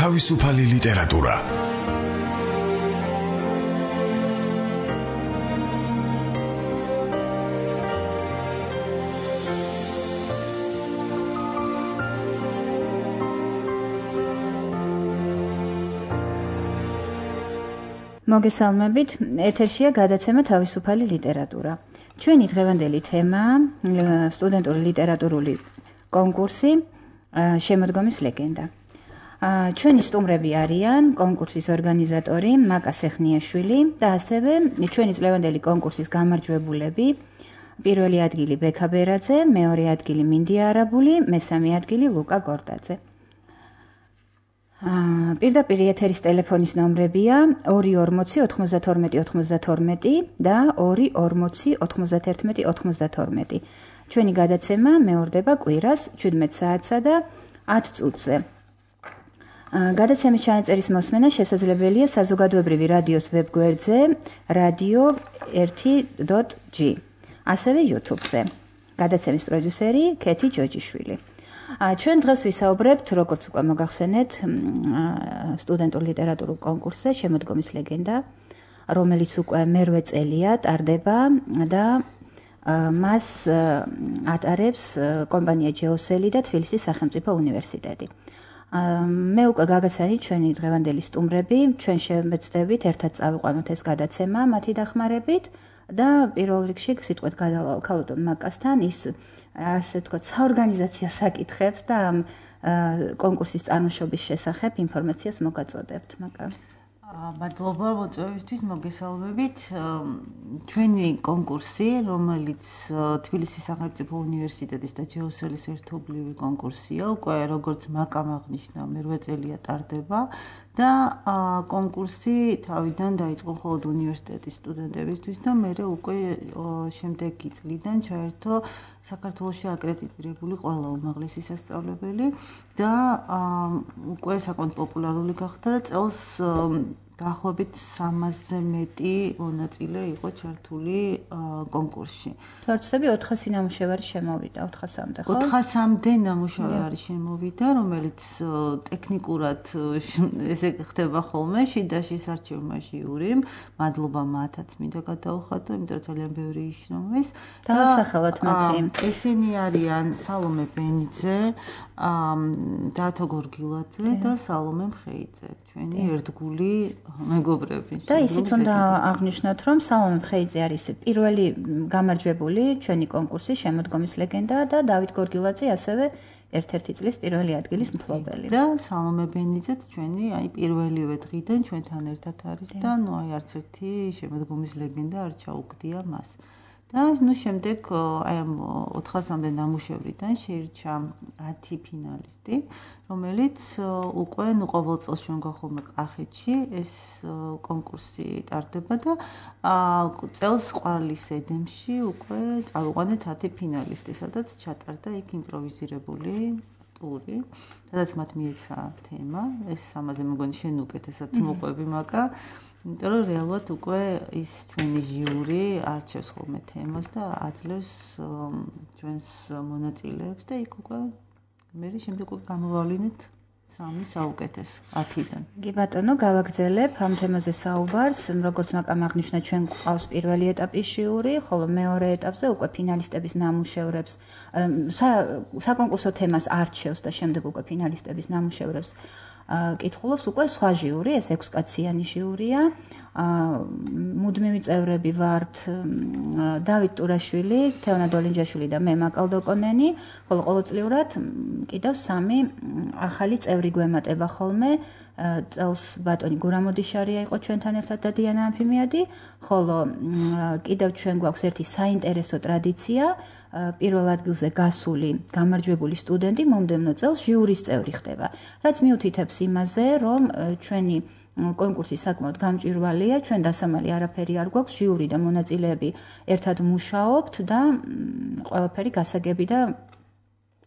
თავისუფალი ლიტერატურა. მოგესალმებით, ეთერშია გადაცემა თავისუფალი ლიტერატურა. ჩვენი დღევანდელი თემაა სტუდენტური ლიტერატურული კონკურსი შემოდგომის ლეგენდა. ჩვენი სტუმრები არიან კონკურსის ორგანიზატორი მაკა სეხნიაშვილი და ასევე ჩვენი წლევანდელი კონკურსის გამარჯვებულები. პირველი ადგილი ბექა ბერაძე, მეორე ადგილი მინდია არაბული, მესამე ადგილი ლუკა გორდაძე. პირდაპირ ეთერის ტელეფონის ნომრებია 240-92-92 და 240-91-92. ჩვენი გადაცემა მეორდება კვირას 17 საათსა და 10 წუთზე. გადაცემის ჩანაწერის მოსმენა შესაძლებელია საზოგადოებრივი რადიოს ვებგვერდზე radio1.g, ასევე YouTube-ზე. გადაცემის პროდიუსერი ქეთი ჯოჯიშვილი. ჩვენ დღეს ვისაუბრებთ, როგორც უკვე მოგახსენეთ, სტუდენტურ ლიტერატურულ კონკურსზე შემოდგომის ლეგენდა, რომელიც უკვე მერვე წელია ტარდება და მას ატარებს კომპანია ჯეოსელი და თბილისის სახელმწიფო უნივერსიტეტი. მე უკვე გაგაცანით ჩვენი დღევანდელი სტუმრები, ჩვენ შევეცდებით ერთად წავიყვანოთ ეს გადაცემა მათი დახმარებით და პირველ რიგში სიტყვით გადავალ მაკასთან ის ასე თქვა საორგანიზაციო საკითხებს და ამ კონკურსის წარმოშობის შესახებ ინფორმაციას მოგაწოდებთ, მაკა. მადლობა მოწვევისთვის, მოგესალმებით. ჩვენი კონკურსი, რომელიც თბილისის სახელმწიფო უნივერსიტეტის და ჯეოსელის ერთობლივი კონკურსია, უკვე როგორც მაკამ აღნიშნა, მერვე წელია ტარდება და კონკურსი თავიდან დაიწყო მხოლოდ უნივერსიტეტის სტუდენტებისთვის და მერე უკვე შემდეგი წლიდან ჩაერთო საქართველოში აკრედიტირებული ყველა უმაღლესი სასწავლებელი და უკვე საკმაოდ პოპულარული გახდა და წელს დაახლოებით 300-ზე მეტი მონაწილე იყო ჩართული კონკურსში. თორცები 400 ნამუშევარი შემოვიდა, 400-მდე, ხო? 400-მდე ნამუშევარი შემოვიდა, რომელიც ტექნიკურად ესე ხდება ხოლმე შიდა შესარჩევმა ჟიურიმ. მადლობა მათაც მინდა გადაუხადო, იმიტომ რომ ძალიან ბევრი იშრომეს. დავასახელოთ მათი. ესენი არიან სალომე ბენიძე, დათო გორგილაძე და სალომე მხეიძე. ჩვენი ერთგული მეგობრები. და ისიც უნდა აღნიშნოთ, რომ სალომე მხეიძე არის პირველი გამარჯვებული ჩვენი კონკურსის შემოდგომის ლეგენდა და დავით გორგილაძე ასევე ერთ-ერთი წლის პირველი ადგილის მფლობელი. და სალომე ბენიძეც ჩვენი პირველივე დღიდან ჩვენთან ერთად არის და არც ერთი შემოდგომის ლეგენდა არ ჩაუგდია მას. და შემდეგ აი ამ 400-მდე ნამუშევრიდან შეირჩა 10 ფინალისტი, რომელიც უკვე ყოველ წელს ჩვენ გვახოლმე კახეთში ეს კონკურსი ტარდება და წელს ყვარლის ედემში უკვე წავიყვანეთ 10 ფინალისტი, სადაც ჩატარდა იქ იმპროვიზირებული ტური, სადაც მათ მიეცა თემა, ეს ამაზე მეგონი შენ უკეთესად მოყვები მაკა. იმიტომ რომ რეალურად უკვე ის ჩვენი ჟიური არჩევს ხოლმე თემას და აძლევს ჩვენს მონაწილეებს და იქ უკვე მე შემდეგ უკვე გამოვავლინეთ 3 საუკეთესო 10-დან. კი ბატონო, გავაგრძელებ ამ თემაზე საუბარს, როგორც მაკამ აღნიშნა, ჩვენ გვყავს პირველი ეტაპის ჟიური, ხოლო მეორე ეტაპზე უკვე ფინალისტების ნამუშევრებს საკონკურსო თემას არჩევს და შემდეგ უკვე ფინალისტების ნამუშევრებს კითხულობს უკვე სხვა ჟიური, ეს 6 კაციანი ჟიურია. მუდმივი წევრები ვართ დავით ტურაშვილი, თეონა დოლინჯაშვილი და მე მაკალდოკონენი, ხოლო ყოველწლიურად კიდევ 3 ახალი წევრი გვემატება ხოლმე. წელს ბატონი გურამოდიშარია იყო ჩვენთან ერთად და დიანა ამფიმიადი, ხოლო კიდევ ჩვენ გვაქვს ერთი საინტერესო ტრადიცია, პირველ ადგილზე გასული გამარჯვებული სტუდენტი მომდევნო წელს ჟიურის წევრი ხდება, რაც მიუთითებს იმაზე, რომ ჩვენი კონკურსი საკმაოდ გამჭვირვალეა, ჩვენ დასამალი არაფერი არ გვაქვს, ჟიური და მონაწილეები ერთად მუშაობთ და ყველაფერი გასაგები და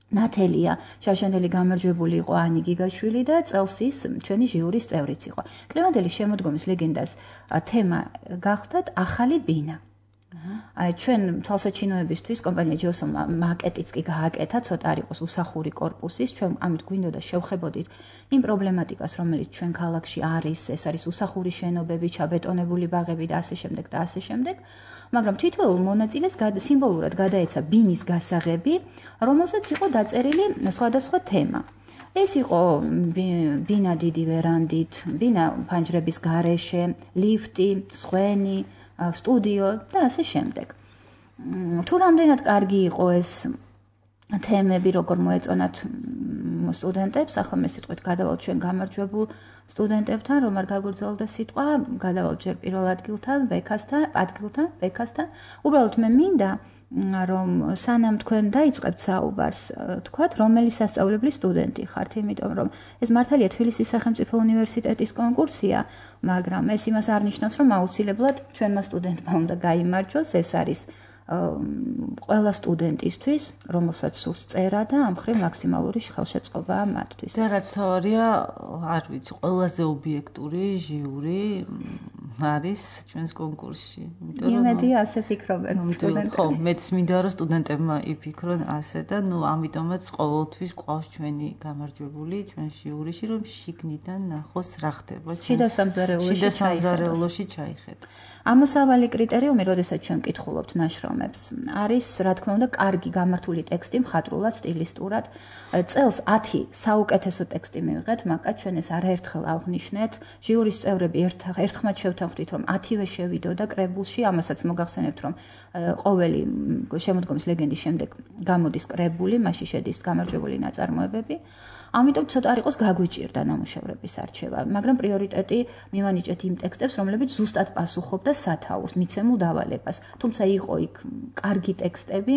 ნათელია. შაშანდელი გამარჯვებული იყო ანი გიგაშვილი და წელს ის ჩვენი ჟიურის წევრიც იყო. წლევანდელი შემოდგომის ლეგენდას თემა გახდათ ახალი ბინა. აი ჩვენ თვალსაჩინოებისთვის კომპანია ჯოსონმა მაკეტიც კი გააკეთა, ცოტა არ იყოს უსახური корпуსის, ჩვენ ამით გვინდოდა შევხებოდით იმ პრობლემატიკას, რომელიც ჩვენ ქალაქში არის, ეს არის უსახური შენობები, ჩაბეტონებული ბაღები და ასე შემდეგ და ასე შემდეგ, მაგრამ თითოეულ მონაწილეს სიმბოლურად გადაეცა ბინის გასაღები, რომელსაც იყო დაწერილი სხვადასხვა თემა. ეს იყო ბინა დიდი ვერანდით, ბინა ფანჯრების გარეშე, ლიფტი, სხვენი, სტუდიო და ასე შემდეგ. თუ რამდენად კარგი იყო ეს თემები, როგორ მოეწონათ სტუდენტებს, ახლა მე სიტყვით გადავალთ ჩვენ გამარჯვებულ სტუდენტებთან, რომ არ გაგრძელდა სიტყვა, გადავალთ ჯერ პირველ ადგილთან, ბექასთან. უბრალოდ მე მინდა რომ სანამ თქვენ დაიწყებთ საუბარს, თქვათ, რომელი სასწავლებლის სტუდენტი ხართ, იმიტომ რომ ეს მართალია თბილისის სახელმწიფო უნივერსიტეტის კონკურსია, მაგრამ ეს იმას არ ნიშნავს, რომ აუცილებლად ჩვენმა სტუდენტმა უნდა გაიმარჯვოს, ეს არის ყველა სტუდენტისთვის, რომელსაც სურს წერა და ამ მხრივ მაქსიმალური ხელშეწყობაა მათთვის. და რაც თავარია, არ ვიცი, ყველაზე ობიექტური ჟიური არის ჩვენს კონკურსში. იმედია ასე ფიქრობენ სტუდენტები. ხო, მეც მინდა რომ სტუდენტებმა იფიქრონ ასე და ამიტომაც ყოველთვის ყავს ჩვენი გამარჯვებული ჩვენ ჟიურიში, რომ შიგნიდან ნახოს რა ხდება. შიდა სამზარეულოში ჩაიხედოს. ამოსავალი კრიტერიუმი, როდესაც ჩვენ ვკითხულობთ ნაშრომებს, არის, რა თქმა უნდა, კარგი გამართული ტექსტი, მხატვრულად, სტილისტურად. წელს 10 საუკეთესო ტექსტი მივიღეთ, მაგრამ ჩვენ ეს არაერთხელ აღვნიშნეთ. ჟიურის წევრები ერთხმად შევთანხმდით, რომ 10-ვე შევიდოდა კრებულში, ამასაც მოგახსენებთ, რომ ყოველი შემოდგომის ლეგენდის შემდეგ გამოდის კრებული, მასში შედის გამარჯვებული ნაწარმოებები. ამიტომ ცოტა არ იყოს გაგვიჭირდა ნამუშევრების არჩევა, მაგრამ პრიორიტეტი მივანიჭეთ იმ ტექსტებს, რომლებიც ზუსტად პასუხობდა სათაურს, მიცემულ დავალებას. თუმცა იყო იქ კარგი ტექსტები,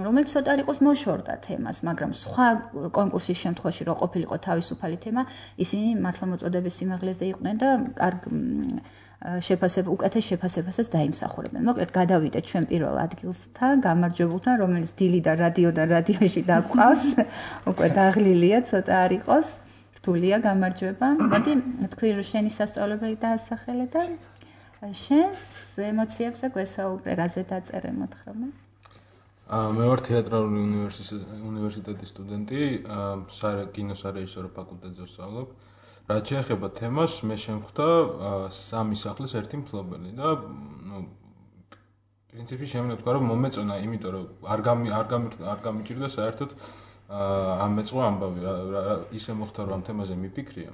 რომელიც ცოტა არ იყოს მოშორდა თემას, მაგრამ სხვა კონკურსის შემთხვევაში რო ყოფილიყო თავისუფალი თემა, ისინი მართლმოწოდების სიმაღლეზე იყვნენ და უკეთეს შეფასებასაც დაიმსახურებენ. მოკლედ გადავიდეთ ჩვენ პირველ ადგილსთან, გამარჯვებულთან, რომელიც დილი და რადიოში დაგვყავს. უკვე დაღლილია, ცოტა არ იყოს. რთულია გამარჯვება. მოდი თქვი რომ შენი სასწავლებელი დაასახელე და შენს ემოციებს გვესაუბრე, რაზე დაწერე მოთხრობა. მე ვარ თეატრალური უნივერსიტეტის სტუდენტი, კინოსარეჟისორო ფაკულტეტზე ვსწავლობ. რაც შეეხება თემას, მე შემხვდა სამი სახლის ერთი მფლობელი და პრინციპში შემიძლია ვთქვა, რომ მომეწონა, იმიტომ რომ არ გამიჭირდა საერთოდ ამეწყო ამბავი, ისე მოხდა, რომ ამ თემაზე მიფიქრია.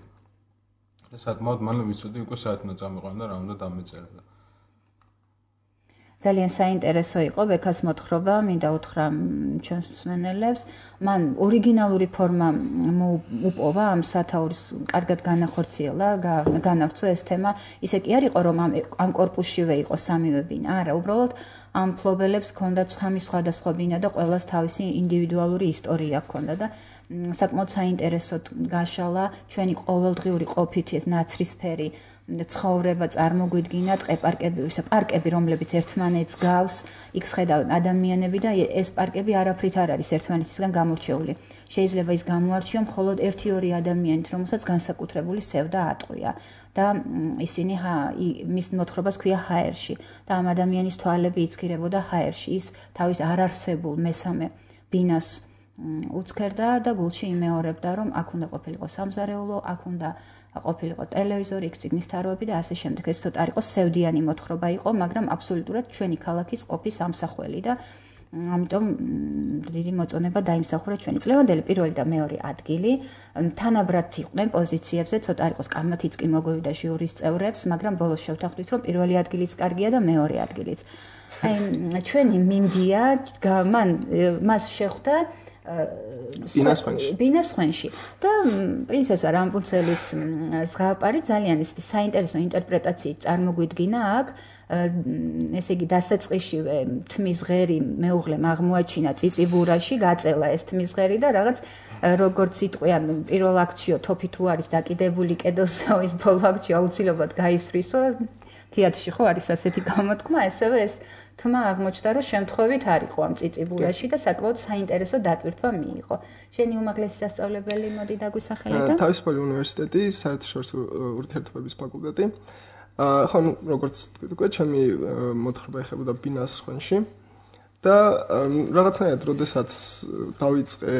და საკმაოდ მალე ვიცოდი უკვე საათ უნდა წამიყვან და რა უნდა დამეწერა. ძალიან საინტერესო იყო ბექას მოთხრობა, მინდა უთხრა ჩვენს მსმენელებს. მან ორიგინალური ფორმა უპოვა ამ სათაურის კარგად განახორციელა, განავრცო ეს თემა. ისე კი არ იყო, რომ ამ корпуსშივე იყო სამივე ბინა, არა, უბრალოდ ამ მფლობელებს ჰქონდათ სამი სხვადასხვა ბინა და ყველას თავისი ინდივიდუალური ისტორია ჰქონდა და საკმაოდ საინტერესოდ გაშალა ჩვენი ყოველდღიური ყოფითი ეს ნაცრისფერი ცხოვრება წარმოგვიდგინა, პარკები, რომლებიც ერთმანეთს გავს, იქ შედავენ ადამიანები და ეს პარკები არაფრით არ არის ერთმანეთისგან გამორჩეული. შეიძლება ის გამოარჩიო მხოლოდ 1-2 ადამიანით, რომელსაც განსაკუთრებული სევდა ატყვია და ისინი მის მოთხრობას ქვია ჰაერში და ამ ადამიანის თვალები იცქირებოდა ჰაერში. ის თავის არარსებულ მესამე ბინას უცქერდა და გულში იმეორებდა, რომ აქ უნდა ყოფილიყო სამზარეულო, აქ უნდა ყოფილიყო ტელევიზორი, იქ წიგნის თაროები და ასე შემდეგ. ეს ცოტა არ იყო სევდიანი მოთხრობა იყო, მაგრამ აბსოლუტურად ჩვენი ქალაქის ყოფის ამსახველი და ამიტომ დიდი მოწონება დაიმსახურა ჩვენი წლევანდელი პირველი და მეორე ადგილი. თანაბრად იყვნენ პოზიციებზე, ცოტა არ იყოს კამათიც კი მოგვივიდა ჟიურის წევრებს, მაგრამ ბოლოს შევთანხმდით, რომ პირველი ადგილიც კარგია და მეორე ადგილიც. აი ჩვენი მინდია მას შეხვდა ბინასხვენში და პრინცესა რამპუნცელის ზღაპარი ძალიან საინტერესო ინტერპრეტაციით წარმოგვიდგინა აქ. ესე იგი დასაწყისშივე თმის ღერი მეუღლემ აღმოაჩინა წიწიბურაში, გაწელა ეს თმის ღერი და რაღაც როგორც იტყვიან პირველ აქტშიო თოფი თუ არის დაკიდებული კედელსა, ის ბოლო აქტში აუცილებლად გაისვრისო. თეატრში ხო არის ასეთი გამოთქმა, ესევე ეს თმა აღმოჩნდა, რომ შემთხვევით არ იყო ამ წიწიბურაში და საკმაოდ საინტერესო დატვირთვა მიიღო. შენი უმაღლესი სასწავლებელი მოდი დაგვისახელე და თავისუფალი უნივერსიტეტის საერთაშორისო ურთიერთობების ფაკულტეტი. ხო, როგორც თქვი, ჩემი მოთხრობა ეხებოდა ბინას ხვენში და რაღაცნაირად, როდესაც დავიწყე,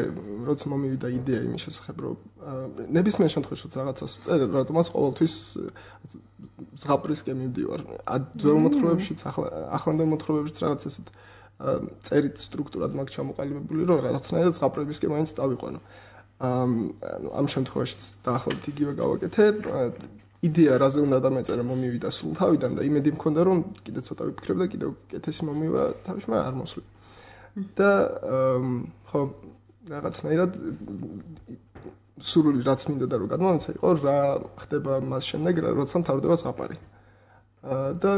როცა მომივიდა იდეა იმის შესახებ, რომ ნებისმიერ შემთხვევაში რაღაცას ვწერ, რატომაც ყოველთვის ზღაპრისკენ მივდივარ. ძველ მოთხრობებშიც, ახლანდელ მოთხრობებშიც რაღაც ესეთ წერით სტრუქტურად მაქვს ჩამოყალიბებული, რომ რაღაცნაირად ზღაპრებისკენ მაინც წავიყვანო. ამ შემთხვევაშიც დაახლოებით იგივე გავაკეთე. იდეა რაზე უნდა დამეწერა მომივიდა სულ თავიდან და იმედი მქონდა რომ კიდე ცოტა ვიფიქრებ და კიდევ კეთესი მომივა თავში, მაგრამ არ მოსვლა. და ხო რაღაცნაირად სურვილი რაც მინდოდა რომ გადმომეცა იყო რა ხდება მას შემდეგ როცა მთავრდება ზღაპარი. და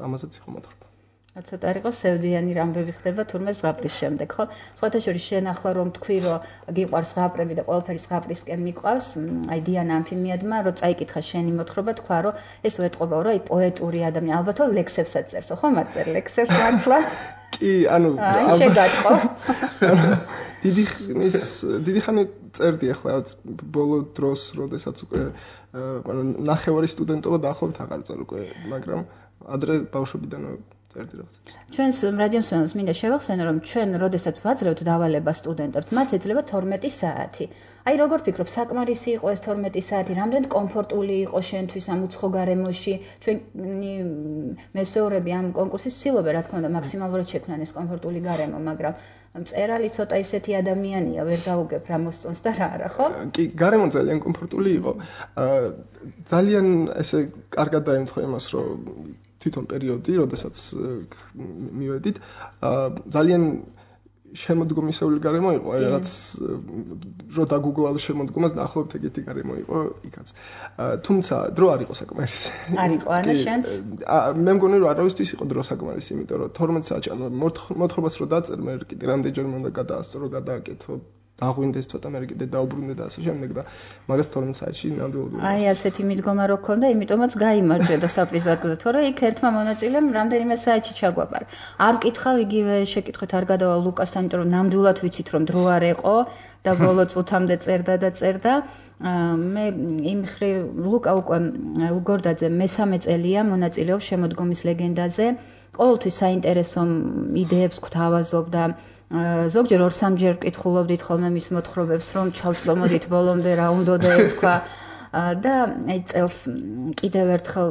ამასაც იყო მოთხრობა. ცოტა არ იყო სევდიანი რამბები ხდება თურმე ზღაპრის შემდეგ, ხო? სხვათა შორის შენ ახლა რომ თქვი რომ გიყვარს ზღაპრები და ყველაფერი ზღაპრისკენ მიყვავს, აი დიანა ამფიმიადმა რომ წაიკითხა შენი მოთხრობა, თქვა რომ ეს უეთყობაო რა, აი პოეტური ადამიანი, ალბათო ლექსებსაც წერსო, ხო? მარტერ ლექსებს მართლა? კი, ანუ შეგატყო. დიდი ხანი წერდი ახლა ბოლო დროს, როდესაც უკვე ნახევარი სტუდენტობა დაახლოებით აღარ წარ უკვე, მაგრამ ადრე ბავშვობიდანვე წერდი რაღაც. ჩვენს რადიო მსმენელს მინდა შევახსენო, რომ ჩვენ როდესაც ვაძლევთ დავალებას სტუდენტებს, მათ ეძლევა 12 საათი. აი როგორ ფიქრობ, საკმარისი იყო ეს 12 საათი, რამდენ კომფორტული იყო შენთვის ამ უცხო გარემოში? ჩვენი მესეურები ამ კონკურსის ცდილობენ, რა თქმა უნდა, მაქსიმალურად შექმნან ეს კომფორტული გარემო, მაგრამ მწერალი ცოტა ისეთი ადამიანია, ვერ გაუგებ რა მოსწონს და რა არა, ხო? კი, გარემო ძალიან კომფორტული იყო. ძალიან ესე კარგად დაემთხვა იმას, რომ თვითონ პერიოდი, როდესაც მივედით, ძალიან შემოდგომისეული გარემო იყო, აი რაღაც რო დაგუგლავ შემოდგომას დაახლოებით ეგეთი გარემო იყო იქაც. თუმცა დრო არ იყო საკმარისი. არ იყო ანა შენს? მე მგონი რომ არავისთვის იყო დრო საკმარისი, იმიტომ რომ 12 საათი ანუ მოთხრობას რო დაწერ, მე კიდე რამდენჯერმე უნდა გადაასწრო, გადააკეთო, დაღვინდეს ცოტა მე კიდე დაუბრუნდე და ასე შემდეგ და მაგას 12 საათში ნამდვილად. აი ასეთი მიდგომა რო ქონდა, იმიტომაც გაიმარჯვე და საპრიზად გზა, თორე იქ ერთმა მონაწილემ რამდენიმე საათში ჩაგვაბარა. არ ვკითხავ იგივე შეკითხვით არ გადავალ ლუკასთან, იმიტომ რომ ნამდვილად ვიცით რომ დრო არ ეყო და ბოლო წუთამდე წერდა. მე იმ ხრი ლუკა უკვე ლუგორდაძე მესამე წელია მონაწილეობს შემოდგომის ლეგენდაზე. ყოველთვის საინტერესო იდეებს გვთავაზობდა. ზოგჯერ 2-3ჯერ ვკითხულობდით ხოლმე მის მოთხრობებს, რომ ჩავწლომოდით ბოლომდე რა უნდოდა ეთქვა და აი წელს კიდევ ერთხელ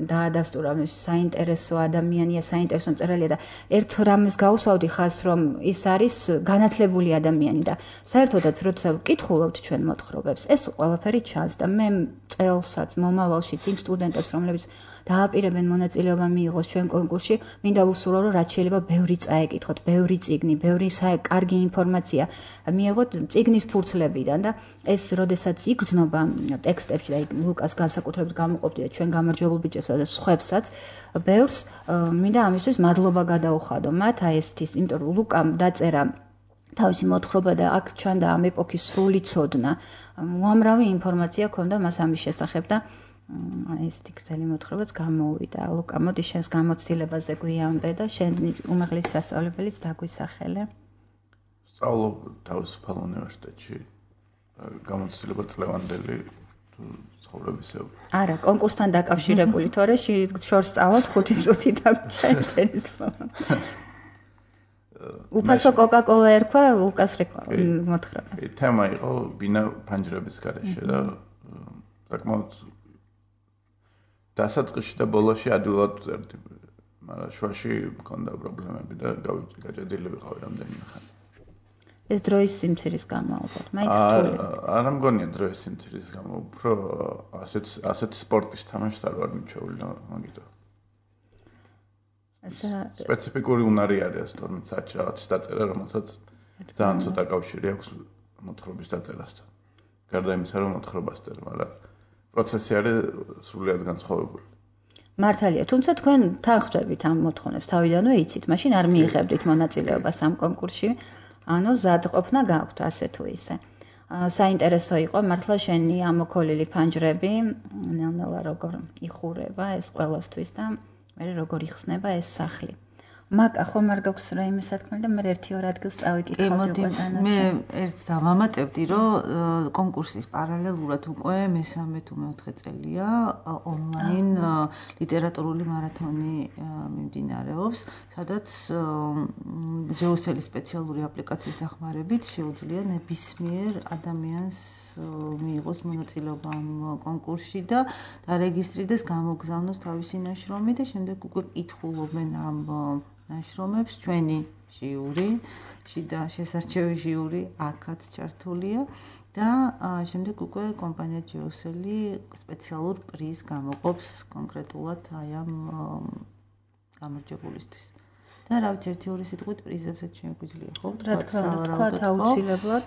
დაადასტურა მის საინტერესო ადამიანია, საინტერესო მწერალია და ერთ რამეს გავუსვავდი ხას, რომ ის არის განათლებული ადამიანი და საერთოდაც როცა ვკითხულობთ ჩვენ მოთხრობებს, ეს ყველაფერი ჩანს და მე წელსაც მომავალშიც იმ სტუდენტებს, რომლებიც დააპირებენ მონაწილეობა მიიღოს ჩვენ კონკურსში, მინდა ვუსურვო, რომ რაც შეიძლება ბევრი წაეკითხოთ, ბევრი წიგნი, ბევრი კარგი ინფორმაცია მიიღოთ წიგნის ფურცლებიდან და ეს როდესაც იგრძნობა ტექსტებში და ლუკას განსაკუთრებით გამოყოფდი და ჩვენ გამარჯვებულ ბიჭებსა და სხვებსაც ბევრს მინდა ამისთვის მადლობა გადაუხადო მათ აი ესეთის, იმიტომ რომ ლუკამ დაწერა თავისი მოთხრობა და აქ ჩანდა ამ ეპოქის სრული ცოდნა. უამრავი ინფორმაცია ჰქონდა მას ამის შესახებ და ესეთი გრძელი მოთხრობაც გამოუვიდა. ლუკა, მოდი შენს გამოცდილებაზე გვიამბე და შენ უმაღლესი სასწავლებელიც დაგვისახელე. სწავლობ თავისუფალ უნივერსიტეტში. გამოცდილება წლევანდელი ცხოვრებისეულ. არა, კონკურსთან დაკავშირებული, თორე შორს სწავლობ 5 წუთი დაგვჭირდეს. უფასო კოკა-კოლა ერქვა ლუკას მოთხრობას. თემა იყო ბინა ფანჯრების გარეშე და საკმაოდ დასაწყისში და ბოლოში ადვილად წერდი, მაგრამ შუაში მქონდა პრობლემები და გაჭედილი ვიყავი რამდენიმე ხანი. ეს დროის სიმცირის გამო ალბათ, მაინც რთული. არა მგონია დროის სიმცირის გამო, უფრო ასეთ სპორტის თამაშს არ ვარ მიჩვეული და მაგითო. სპეციფიკური უნარი არის 12 საათში რაღაცის დაწერა, რომელსაც ძალიან ცოტა კავშირი აქვს მოთხრობის დაწერასთან. გარდა იმისა, რომ მოთხრობას წერ, მაგრამ პროცესი არის სრულიად განსხვავებული. მართალია, თუმცა თქვენ თანხმდებით ამ მოთხოვნებს თავიდანვე იცით, მაშინ არ მიიღებდით მონაწილეობას ამ კონკურსში. ანუ ზადყოფნა გაქვთ ასე თუ ისე. საინტერესო იყო მართლა შენი ამოქოლილი ფანჯრები, ნელ-ნელა როგორ იხურება ეს ყველასთვის და მე როგორ იხსნება ეს სახლი. მაკა ხომ არ გაქვს რაიმე სათქმელი და მე 1-2 ადგილს წავიკითხავდი უკვე დანარჩენ. მე ერთს დავამატებდი, რომ კონკურსის პარალელურად უკვე მესამე თუ მეოთხე წელია ონლაინ ლიტერატურული მარათონი მიმდინარეობს, სადაც ჯეოსელის სპეციალური აპლიკაციის დახმარებით შეუძლია ნებისმიერ ადამიანს მიიღოს მონაწილეობა ამ კონკურსში და დარეგისტრირდეს, გამოგზავნოს თავისი ნაშრომი და შემდეგ უკვე კითხულობენ ამ ნაშრომებს ჩვენი ჟიური, შიდა შესარჩევი ჟიური აქაც ჩართულია და შემდეგ უკვე კომპანია ჯეოსელი სპეციალურ პრიზს გამოყოფს კონკრეტულად აი ამ გამარჯვებულისთვის. და რა ვიცი, 1-2 სიტყვით პრიზებსაც შეგვიძლია ხო? რა თქმა უნდა, თქვა აუცილებლად.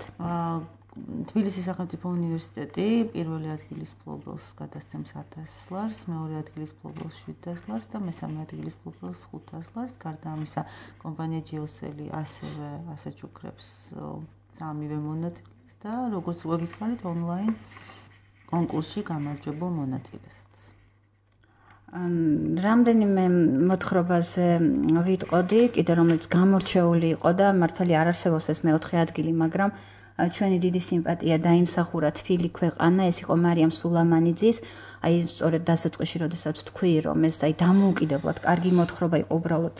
თბილისის სახელმწიფო უნივერსიტეტი პირველი ადგილის მფლობელს გადასცემს 1000 ლარს, მეორე ადგილის მფლობელს 700 ლარს და მესამე ადგილის მფლობელს 500 ლარს. გარდა ამისა, კომპანია ჯეოსელი ასევე ასაჩუქრებს სამივე მონაწილეს და როგორც უკვე გითხარით, ონლაინ კონკურსში გამარჯვებულ მონაწილესაც. რამდენიმე მოთხრობაზე ვიტყოდი, კიდე რომელიც გამორჩეული იყო და მართალი არ არსებობს ეს მეოთხე ადგილი, მაგრამ ჩვენი დიდი სიმპათია დაიმსახურა თბილი ქვეყანა, ეს იყო მარიამ სულამანიძის, აი სწორედ დასაწყისში, როდესაც თქვი, რომ ეს აი დამოუკიდებლად კარგი მოთხრობა იყო, უბრალოდ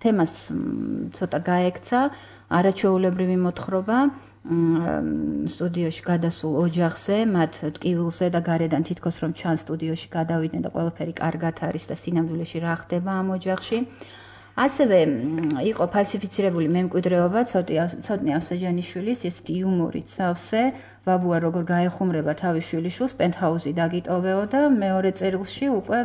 თემას ცოტა გაექცა, არაჩვეულებრივი მოთხრობა. სტუდიოში გადასულ ოჯახზე, მათ ტკივილზე და გარედან თითქოს რომ ჩანს სტუდიოში გადავიდნენ და ყველაფერი კარგად არის და სინამდვილეში რა ხდება ამ ოჯახში. ასევე იყო ფალსიფიცირებული მემკვიდრეობა ცოტნე ავსაჯანიშვილის, ესეთი იუმორით სავსე, ბაბუა როგორ გაეხუმრება თავის შვილიშვილს, პენტჰაუზი დაგიტოვეო და მეორე წერილში უკვე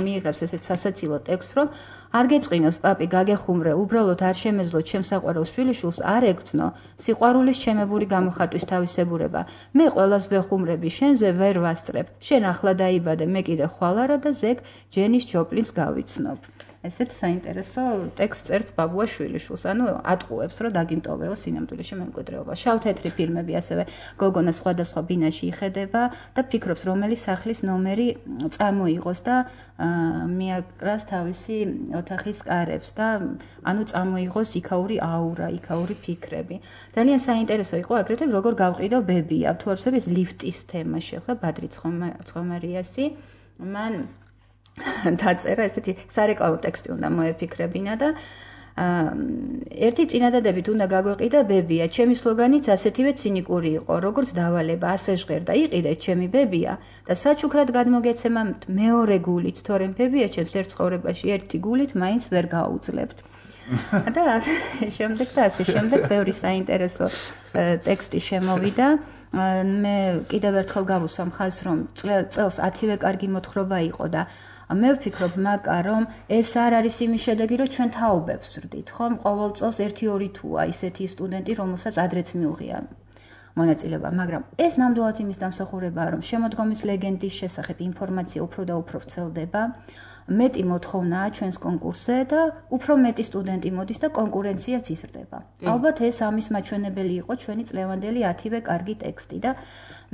მიიღებს ესეთ სასაცილო ტექსტს, რომ არ გეწყინოს პაპი გაგეხუმრე, უბრალოდ არ შემეძლო ჩემს საყვარელ შვილიშვილს არ ეგწნო, სიყვარულის ჩემებული გამოხატვის თავისებურება. მე ყველას ვეხუმრები, შენზე ვერ ვასწრებ. შენ ახლა დაიბადე, მე კიდე ხვალ არა და ზეგ ჯენის ჯოპლინს გავიცნობ. ესეთ საინტერესო ტექსტს წერს ბაბუა შვილიშვილს, ანუ ატყუებს, რომ დაგიმტოვეო სინამდვილეში მემკვიდრეობა. შავ-თეთრი ფილმები ასევე გოგონა სხვადასხვა ბინაში იხედება და ფიქრობს, რომელი სახლის ნომერი წამოიღოს და მიაკრას თავისი ოთახის კარებს და ანუ წამოიღოს იქაური აურა, იქაური ფიქრები. ძალიან საინტერესო იყო აგრეთვე როგორ გავყიდო ბებია. თუ არ ვსები ეს ლიფტის თემა შეხლა ბადრი ცხომერიასი. მან დაწერა ესეთი სარეკლამო ტექსტი უნდა მოეფიქრებინა და ერთი წინადადებით უნდა გაგვეყიდა ბებია. ჩემი სლოგანიც ასეთივე ცინიკური იყო, როგორც დავალება, ასე ჟღერდა, იყიდეთ ჩემი ბებია და საჩუქრად გადმოგეცემათ მეორე გულით, თორემ ბებია ჩემს ერთ ცხოვრებაში ერთი გულით მაინც ვერ გაუძლებთ. და ასე შემდეგ ბევრი საინტერესო ტექსტი შემოვიდა. მე კიდევ ერთხელ გავუსვამ ხაზს, რომ წელს 10-ვე კარგი მოთხრობა იყო და მე ვფიქრობ, მაკა, რომ ეს არ არის იმის შედეგი, რომ ჩვენ თაობებს ვსრდით, ხომ? ყოველ წელს 1-2 თუა ისეთი სტუდენტი, რომელსაც ადრეც მიუღია მონაწილეობა, მაგრამ ეს ნამდვილად იმის დამსახურებაა, რომ შემოდგომის ლეგენდის შესახებ ინფორმაცია უფრო და უფრო ვრცელდება. მეტი მოთხოვნაა ჩვენს კონკურსზე და უფრო მეტი სტუდენტი მოდის და კონკურენციაც იზრდება. ალბათ ეს ამის მაჩვენებელი იყო ჩვენი წლევანდელი 10-ვე კარგი ტექსტი და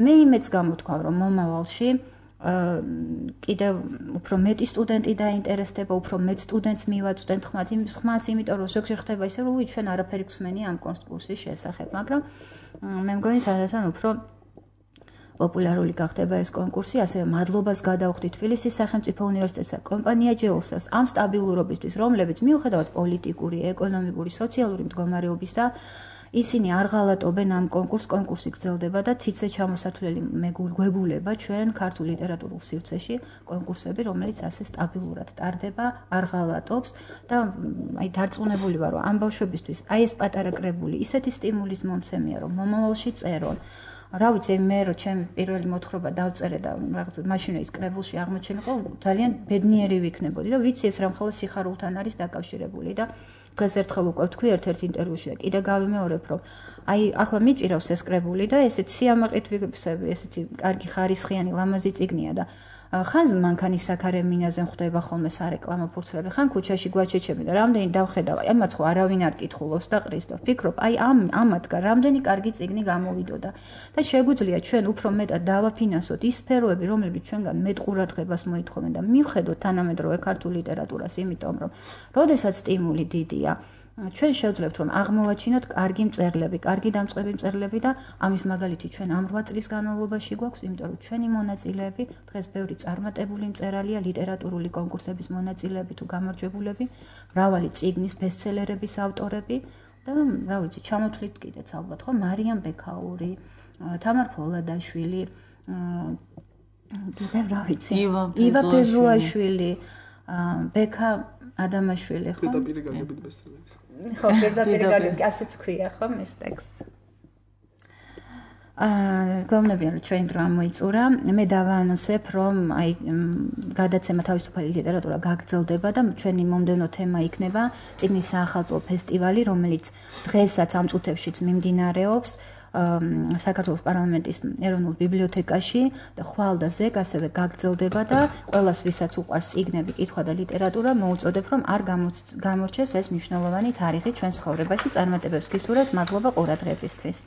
მე იმეც გამოთქვა, რომ მომავალში კიდევ უფრო მეტი სტუდენტი დაინტერესდება, უფრო მეტ სტუდენტს მივაწვდენთ ხმას, იმიტომ რომ ზოგჯერ ხდება ისე, რომ ჩვენ არაფერი გვსმენია ამ კონკურსის შესახებ, მაგრამ მე მგონი თანდათან უფრო პოპულარული გახდება ეს კონკურსი, ასევე მადლობას გადავხდი თბილისის სახელმწიფო უნივერსიტეტსა და კომპანია ჯეოსელს ამ სტაბილურობისთვის, რომლებიც მიუხედავად პოლიტიკური, ეკონომიკური, სოციალური მდგომარეობის და ისინი არ ღალატობენ ამ კონკურსი გრძელდება და თითზე ჩამოსათვლელი გვეგულება ჩვენ ქართულ ლიტერატურულ სივრცეში კონკურსები, რომელიც ასე სტაბილურად ტარდება, არ ღალატობს და აი დარწმუნებული ვარ, რომ ამ ბავშვებისთვის აი ეს პატარა კრებული ისეთი სტიმულის მომცემია, რომ მომავალში წერონ. რა ვიცი, მე რო ჩემი პირველი მოთხრობა დავწერე და რაღაც მაშინ ის კრებულში აღმოჩენილიყო, ძალიან ბედნიერი ვიქნებოდი და ვიცი ეს რამხელა სიხარულთან არის დაკავშირებული და დღეს ერთხელ უკვე ვთქვი ერთ-ერთ ინტერვიუში და კიდე გავიმეორებ, რომ აი ახლა მიჭირავს ეს კრებული და ესეთი სიამაყით ვიგებსები, ესეთი კარგი ხარისხიანი ლამაზი წიგნია და ხან მანქანის საქარემინაზე ხვდება ხოლმე სარეკლამო ფურცლები, ხან ქუჩაში გვაჩეჩები და რამდენი დავხედავ, აი მათ ხო არავინ არ კითხულობს და ყრის და ვფიქრობ, აი ამათგან რამდენი კარგი წიგნი გამოვიდოდა და შეგვიძლია ჩვენ უფრო მეტად დავაფინანსოთ ის სფეროები, რომლებიც ჩვენგან მეტ ყურადღებას მოითხოვენ და მივხედოთ თანამედროვე ქართულ ლიტერატურას, იმიტომ რომ როდესაც სტიმული დიდია ჩვენ შევძლებთ რომ აღმოვაჩინოთ კარგი მწერლები, კარგი დამწყები მწერლები და ამის მაგალითი ჩვენ ამ 8 წლის განმავლობაში გვაქვს, იმიტომ რომ ჩვენი მონაწილეები დღეს ბევრი წარმატებული მწერალია, ლიტერატურული კონკურსების მონაწილეები თუ გამარჯვებულები, მრავალი წიგნის ბესტსელერების ავტორები და რა ვიცი, ჩამოთვლით კიდეც ალბათ ხო, მარიამ ბექაური, თამარ ფოლადაშვილი, კიდევ რა ვიცი, ива პეზუაშვილი, ბექა ადამაშვილი ხო? პირდაპირ გაგებით ბესტსელერს. ხო, პირდაპირ გაგებით, ასეც ქვია ხო ეს ტექსტი. გონებიან რომ ჩვენი დრო ამოიწურა. მე დავაანონსებ რომ აი გადაცემა თავისუფალი ლიტერატურა გაგრძელდება და ჩვენი მომდევნო თემა იქნება წიგნის საახალწლო ფესტივალი, რომელიც დღესაც ამ წუთებშიც მიმდინარეობს. საქართველოს პარლამენტის ეროვნულ ბიბლიოთეკაში და ხვალ და ზეგ ასევე გაგრძელდება და ყველას ვისაც უყვარს წიგნები, კითხვა და ლიტერატურა მოუწოდებ რომ არ გამორჩეს ეს მნიშვნელოვანი თარიღი ჩვენ ცხოვრებაში. წარმატებებს გისურვებთ, მადლობა ყურადღებისთვის.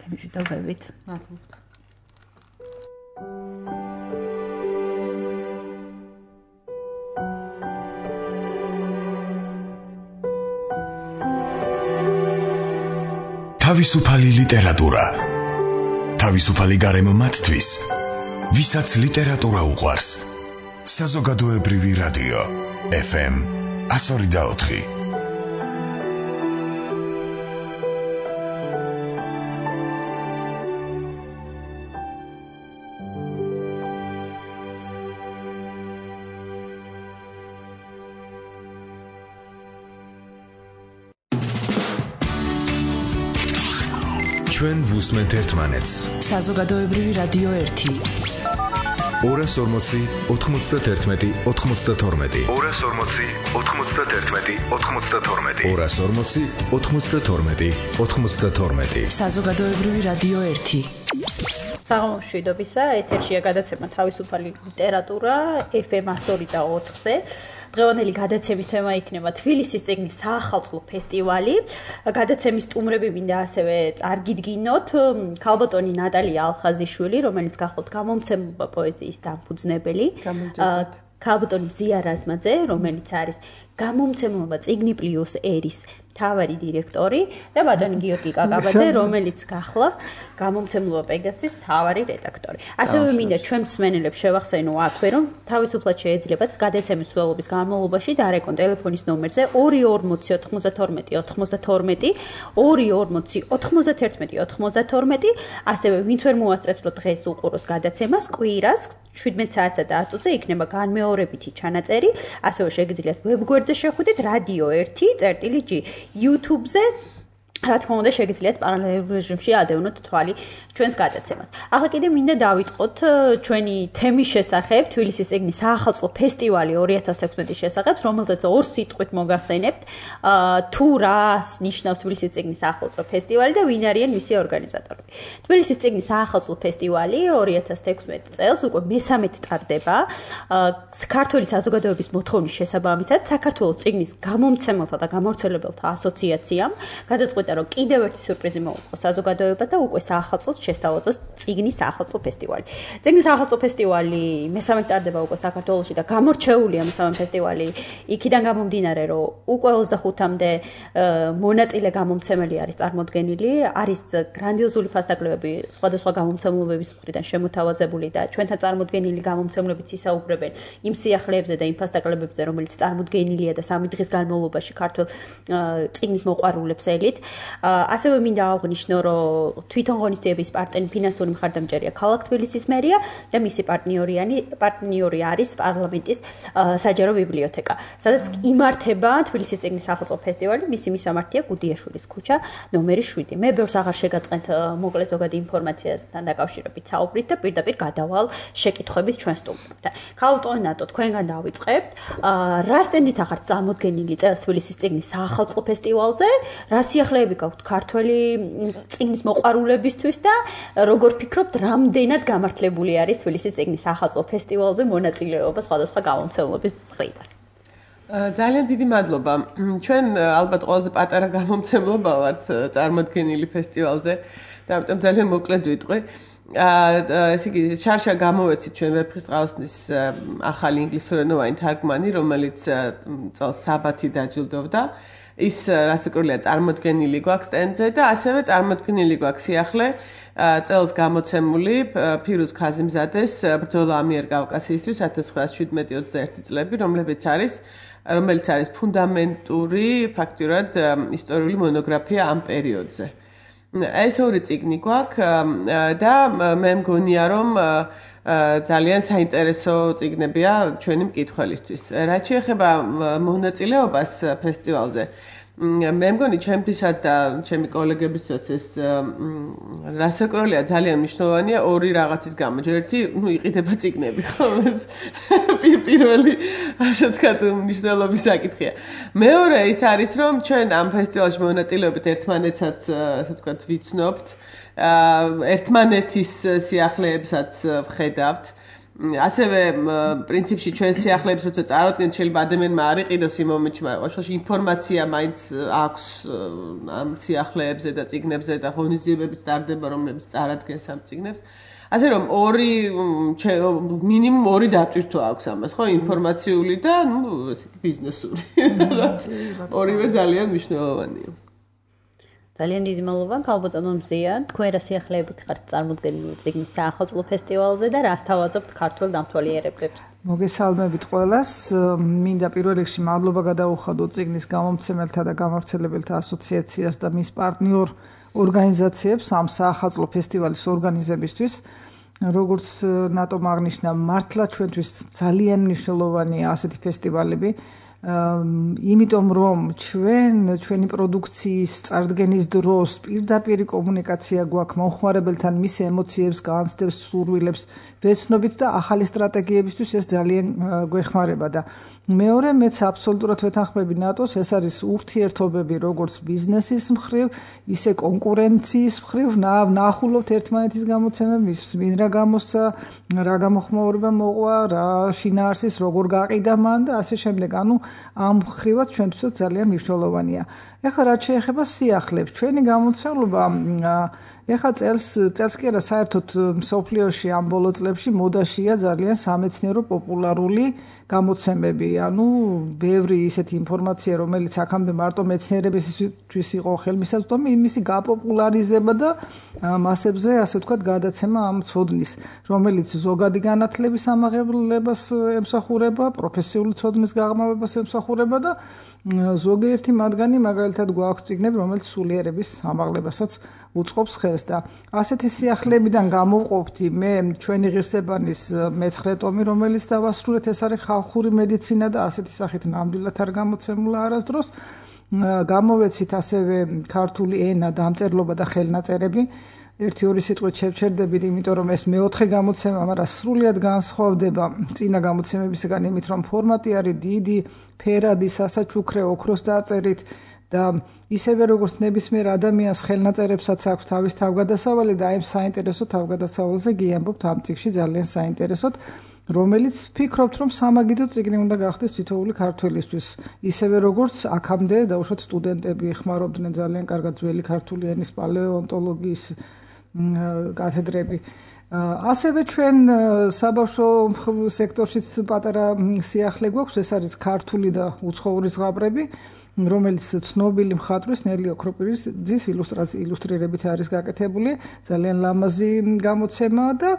გემშვიდობებით. მადლობა. თავისუფალი ლიტერატურა. თავისუფალი გარემო მათთვის, ვისაც ლიტერატურა უყვარს. საზოგადოებრივი რადიო FM 102.4. ჩვენ ვუსმენთ ერთმანეთს. საზოგადოებრივი რადიო 1. 240 91 92. 240 91 92. 240 92 92. საზოგადოებრივი რადიო 1. საღამომშვიდობისა, ეთერშია გადაცემა თავისუფალი ლიტერატურა FM 102.4-ზე. დღევანდელი გადაცემის თემა იქნება თბილისის წიგნის საახალწლო ფესტივალი. გადაცემის სტუმრები მინდა ასევე წარგიდგინოთ ქალბატონი ნატალია ალხაზიშვილი, რომელიც გახლავთ გამომცემლობა პოეზიის დამფუძნებელი. ქალბატონი ზია რაზმაძე, რომელიც არის გამომცემლობა წიგნი პლუს ერის მთავარი დირექტორი და ბატონი გიორგი კაკაბაძე, რომელიც გახლავთ გამომცემლობა პეგასის მთავარი რედაქტორი. ასევე მინდა ჩვენ მსმენელებს შევახსენო აქვე, რომ თავისუფლად შეეძლებათ გადაცემის სრულობის განმავლობაში დარეკონ ტელეფონის ნომერზე 240 92 92, 240 91 92, ასევე ვინც ვერ მოასწრებს, რომ დღეს უყუროს გადაცემას, კვირას 17 საათსა და 10 წუთზე იქნება განმეორებითი ჩანაწერი, ასევე შეგიძლიათ ვებგვერდზე შეხვიდეთ Radio 1.G YouTube-ზე. რა თქმა უნდა, შეგიძლიათ პარალელურ რეჟიმში ადევნოთ თვალი ჩვენს გადაცემას. ახლა კიდე მინდა დავიწყოთ ჩვენი თემის შესახებ, თბილისის წიგნის საახალწლო ფესტივალი 2016-ის შესახებ, რომელზეც ორ სიტყვით მოგახსენებთ, თუ რას ნიშნავს თბილისის წიგნის საახალწლო ფესტივალი და ვინ არიან მისი ორგანიზატორები. თბილისის წიგნის საახალწლო ფესტივალი 2016 წელს უკვე მესამედ ტარდება. საქართველოს საზოგადოების მოთხოვნის შესაბამისად, საქართველოს წიგნის გამომცემელთა და გამავრცელებელთა ასოციაციამ გადაწყვეტა რომ კიდევ ერთი სიურპრიზი მოუწყოს საზოგადოებას და უკვე საახალწლოდ შესთავაზოს წიგნის საახალწლო ფესტივალი. წიგნის საახალწლო ფესტივალი მესამედ ტარდება უკვე საქართველოში და გამორჩეულია მესამე ფესტივალი იქიდან გამომდინარე, რომ უკვე 25-მდე მონაწილე გამომცემელი არის წარმოდგენილი, არის გრანდიოზული ფასდაკლებები სხვადასხვა გამომცემლობების მხრიდან შემოთავაზებული და ჩვენთან წარმოდგენილი გამომცემლებიც ისაუბრებენ იმ სიახლეებზე და იმ ფასდაკლებებზე, რომელიც წარმოდგენილია და სამი დღის განმავლობაში ქართულ წიგნის მოყვარულებს ელით. ასევე მინდა აღვნიშნო, რომ თვითონ ღონისძიების პარტნიორი ფინანსური მხარდამჭერია ქალაქ თბილისის მერია და მისი პარტნიორი არის პარლამენტის საჯარო ბიბლიოთეკა, სადაც იმართება თბილისის წიგნის საახალწლო ფესტივალი. მისი მისამართია გუდიაშვილის ქუჩა ნომერი 7. მე ბევრს აღარ შეგაწყენთ მოკლედ ზოგადი ინფორმაციასთან დაკავშირებით საუბრით და პირდაპირ გადავალ შეკითხვებით ჩვენ სტუმრებთან. ქალბატონი ნატო, თქვენგან დავიწყებთ. რა სტენდით ახართ წარმოდგენილი წელს თბილისის წიგნის საახალწლო ფესტივალზე? რა სიახლეები სურვილები გაქვთ ქართველი წიგნის მოყვარულებისთვის და როგორ ფიქრობთ, რამდენად გამართლებული არის თბილისის წიგნის ახალწლო ფესტივალზე მონაწილეობა სხვადასხვა გამომცემლობის მხრიდან? ძალიან დიდი მადლობა. ჩვენ ალბათ ყველაზე პატარა გამომცემლობა ვართ წარმოდგენილი ფესტივალზე და ამიტომ ძალიან მოკლედ ვიტყვი. ესე იგი, შარშა გამოვეცით ჩვენ ვეფხისტყაოსნის ახალი ინგლისურენოვანი თარგმანი, რომელიც წელს საბათი დაჯილდოვდა. ის რასაკვირველია წარმოდგენილი გვაქვს სტენდზე და ასევე წარმოდგენილი გვაქვს სიახლე წელს გამოცემული ფირუზ ქაზიმზადეს ბრძოლა ამიერკავკასიისთვის 1917-21 წლები, რომელიც არის ფუნდამენტური ფაქტურად ისტორიული მონოგრაფია ამ პერიოდზე. ეს ორი წიგნი გვაქვს და მე მგონია რომ ძალიან საინტერესო წიგნებია ჩვენი მკითხველისთვის. რაც შეეხება მონაწილეობას ფესტივალზე, მე მგონი ჩემთვისაც და ჩემი კოლეგებისთვისაც ეს რასაკვირველია ძალიან მნიშვნელოვანია ორი რაღაცის გამო. ერთი, იყიდება წიგნები, ხო? ეს პირველი ასე ვთქვათ მნიშვნელობის საკითხია. მეორე ის არის რომ ჩვენ ამ ფესტივალში მონაწილეობით ერთმანეთსაც ასე ვთქვათ ვიცნობთ, ერთმანეთის სიახლეებსაც ვხედავთ. ასევე პრინციპში ჩვენ სიახლეებს როცა წარადგენთ, შეიძლება ადამიანმა არ იყიდოს იმ მომენტში, მაგრამ უშუალოდ ინფორმაცია მაინც აქვს ამ სიახლეებზე და წიგნებზე და ღონისძიებებიც ტარდება, რომლებიც წარადგენს ამ წიგნებს. ასე რომ მინიმუმ ორი დატვირთვა აქვს ამას, ხო, ინფორმაციული და ბიზნესური. ორივე ძალიან მნიშვნელოვანია. ძალიან დიდი მადლობა ქალბატონო მზია, თქვენ რა სიახლეებით ხართ წარმოდგენილი წიგნის საახალწლო ფესტივალზე და რას თავაზობთ ქართულ დამთვალიერებლებს? მოგესალმებით ყველას. მინდა პირველ რიგში მადლობა გადაუხადოთ წიგნის გამომცემელთა და გამავრცელებელთა ასოციაციას და მის პარტნიორ ორგანიზაციებს ამ საახალწლო ფესტივალის ორგანიზებისთვის. როგორც ნატომ აღნიშნა, მართლა ჩვენთვის ძალიან მნიშვნელოვანია ასეთი ფესტივალები. იმიტომ რომ ჩვენი პროდუქციის წარდგენის დროს პირდაპირ კომუნიკაცია გვაქვს მომხმარებელთან, მის ემოციებს, განცდებს, სურვილებს ვეცნობით და ახალი სტრატეგიებისთვის ეს ძალიან გვეხმარება და მეორე მეც აბსოლუტურად ვეთანხმები ნატოს, ეს არის ურთიერთობები როგორც ბიზნესის მხრივ, ისე კონკურენციის მხრივ, ნახულობთ ერთმანეთის გამოცემებს, ვინ რა გამოსცა, რა გამოხმაურება მოყვა, რა შინაარსის როგორ გაყიდა მან და ასე შემდეგ. ანუ ამ მხრივაც ჩვენთვისაც ძალიან მნიშვნელოვანია. ეხლა რაც შეეხება სიახლეებს, ჩვენი გამოცემლობა ეხლა წელს კი არა საერთოდ მსოფლიოში ამ ბოლო წლებში მოდაშია ძალიან სამეცნიერო პოპულარული გამოცემები. ანუ ბევრი ისეთი ინფორმაცია, რომელიც აქამდე მარტო მეცნიერებისთვის იყო ხელმისაწვდომი, იმისი გაპოპულარიზება და მასებზე, ასე ვთქვათ, გადაცემა ამ ცოდნის, რომელიც ზოგადი განათლების ამაღლებას ემსახურება, პროფესიული ცოდნის გაღრმავებას ემსახურება და ზოგიერთი მათგანი მაგალითად გვაქვს წიგნები, რომელიც სულიერების ამაღლებასაც უწყობს ხელს და ასეთი სიახლეებიდან გამოვყოფთი მე ჩვენი ღირსებანის მე-9 ტომი, რომელიც დავასრულეთ, ეს არის ხალხური მედიცინა და ასეთი სახით ნამდვილად არ გამოცემულა არასდროს. გამოვეცით ასევე ქართული ენა, დამწერლობა და ხელნაწერები. ერთი-ორი სიტყვით შევჩერდებით, იმიტომ რომ ეს მე-4 გამოცემა, მაგრამ სრულიად განსხვავდება წინა გამოცემებისგან იმით, რომ ფორმატი არის დიდი, ფერადი, სასაჩუქრე, ოქროს დაწერით და ისევე როგორც ნებისმიერ ადამიანს ხელნაწერებსაც აქვს თავის თავგადასავალი და აი საინტერესო თავგადასავალზე გიამბობთ ამ წიგნში ძალიან საინტერესოდ, რომელიც ფიქრობთ, რომ სამაგიდო წიგნი უნდა გახდეს თითოეული ქართველისთვის, ისევე როგორც აქამდე დაუშვათ სტუდენტები ხმარობდნენ ძალიან კარგად ძველი ქართული ენის პალეონტოლოგიის კათედრები. ასევე ჩვენ საბავშვო სექტორშიც პატარა სიახლე გვაქვს, ეს არის ქართული და უცხოური ზღაპრები, რომელიც ცნობილი მხატვრის ნელი ოქროპირიძის ილუსტრირებით არის გაკეთებული, ძალიან ლამაზი გამოცემაა და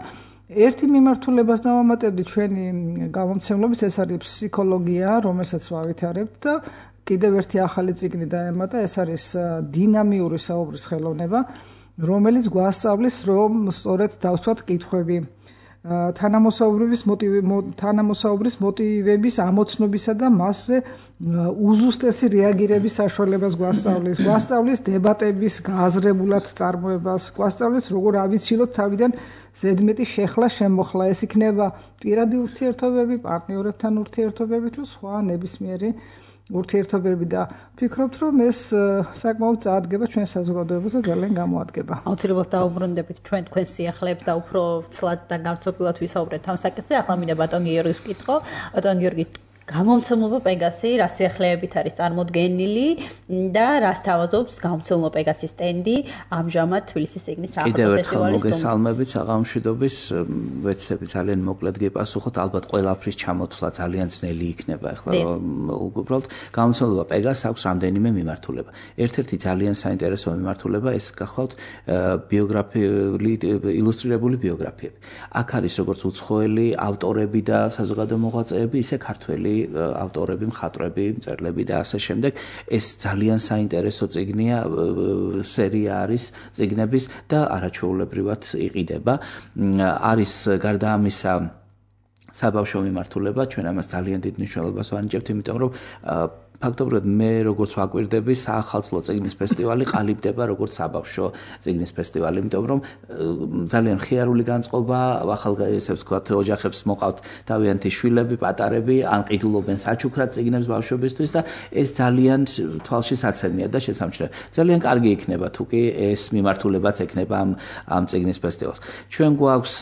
ერთი მიმართულებას დავამატებდი ჩვენი გამომცემლობის, ეს არის ფსიქოლოგია, რომელსაც ვავითარებთ და კიდევ ერთი ახალი წიგნი დაემატა, ეს არის დინამიური საუბრის ხელოვნება, რომელიც გვასწავლის, რომ სწორედ დავსვათ კითხვები თანამოსაუბრის მოტივების ამოცნობისა და მასზე უზუსტესი რეაგირების საშუალებას გვასწავლის დებატების გააზრებულად წარმოებას, გვასწავლის, როგორ ავიცილოთ თავიდან ზედმეტი შეხლა შემოხლა. ეს იქნება პირადი ურთიერთობები, პარტნიორებთან ურთიერთობები თუ სხვა ნებისმიერი ურთიერთობები და ვფიქრობთ, რომ ეს საკმაოდ წაადგება ჩვენ საზოგადოებაზე ძალიან გამოადგება. აუცილებლად დაუბრუნდებით ჩვენ თქვენს სიახლეებს და უფრო ცლად და გამწოფილად ვისაუბრეთ ამ საკითხზე. ახლა მინდა ბატონ გიორგის ვკითხო. ბატონ გიორგი, გამომცემლობა პეგასი რა სიახლეებით არის წარმოდგენილი და რას თავაზობს გამომცემლობა პეგასის სტენდი ამჟამად თბილისის წიგნის საფეხბურთო ფესტივალის მოგესალმებით საღამოშვიდობის ვეცდები ძალიან მოკლედ გეპასუხოთ ალბათ ყველაფრის ჩამოთვლა ძალიან ძნელი იქნება ახლა უბრალოდ გამომცემლობა პეგას აქვს რამდენიმე მიმართულება ერთ-ერთი ძალიან საინტერესო მიმართულება ეს გახლავთ ბიოგრაფიული ილუსტრირებული ბიოგრაფიები აქ არის როგორც უცხოელი ავტორები და საზოგადო მოღვაწეები ისე ქართველი ავტორები, მხატვრები, მწერლები და ასე შემდეგ. ეს ძალიან საინტერესო წიგნია, სერია არის წიგნების და არაჩვეულებრივად იყიდება. არის გარდა ამისა საბავშვო მიმართულება, ჩვენ ამას ძალიან დიდ მნიშვნელობას ვანიჭებთ, იმიტომ რომ ფაქტობრივად მე როგორც ვაკვირდები საახალწლო წიგნის ფესტივალი ყალიბდება როგორც საბავშვო წიგნის ფესტივალი, იმიტომ რომ ძალიან ხიარული განწყობა, ახალგაზრდებს ვთქვათ, ოჯახებს მოყავთ თავიანთი შვილები, პატარები, ან ყიდულობენ საჩუქრად წიგნებს ბავშვებისთვის და ეს ძალიან თვალში საცემია და შესამჩნევია. ძალიან კარგი იქნება თუ კი ეს მიმართულებაც ექნება ამ წიგნის ფესტივალს. ჩვენ გვაქვს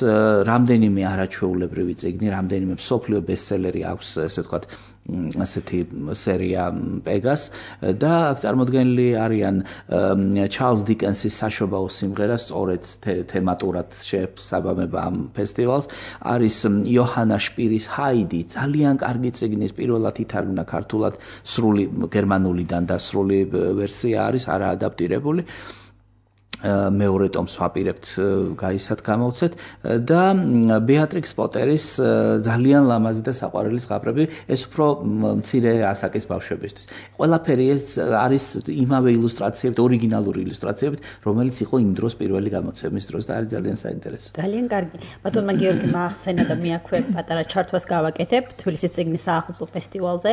რამდენიმე არაჩვეულებრივი წიგნი, რამდენიმე მსოფლიო ბესტსელერი აქვს, ესე ვთქვათ, ასეთი სერია პეგას და აქ წარმოდგენილი არიან ჩარლზ დიკენსის საშობაო სიმღერა სწორედ თემატურად შეესაბამება ამ ფესტივალს არის იოჰანა შპირის ჰაიდი ძალიან კარგი წიგნის პირველად ითარგმნა ქართულად სრული გერმანულიდან და სრული ვერსია არის არაადაპტირებული მეორე ტომს ვაპირებთ გაისად გამოვცეთ და ბეატრიქს პოტერის ძალიან ლამაზი და საყვარელი ზღაპრები ეს უფრო მცირე ასაკის ბავშვებისთვის. ყველაფერი ეს არის იმავე ილუსტრაციებით, ორიგინალური ილუსტრაციებით, რომელიც იყო იმ დროს პირველი გამოცემის დროს და არის ძალიან საინტერესო. ძალიან კარგი. ბატონმა გიორგიმ ახსენა და მე აქვე პატარა ჩართვას გავაკეთებ თბილისის წიგნის საახალწლო ფესტივალზე.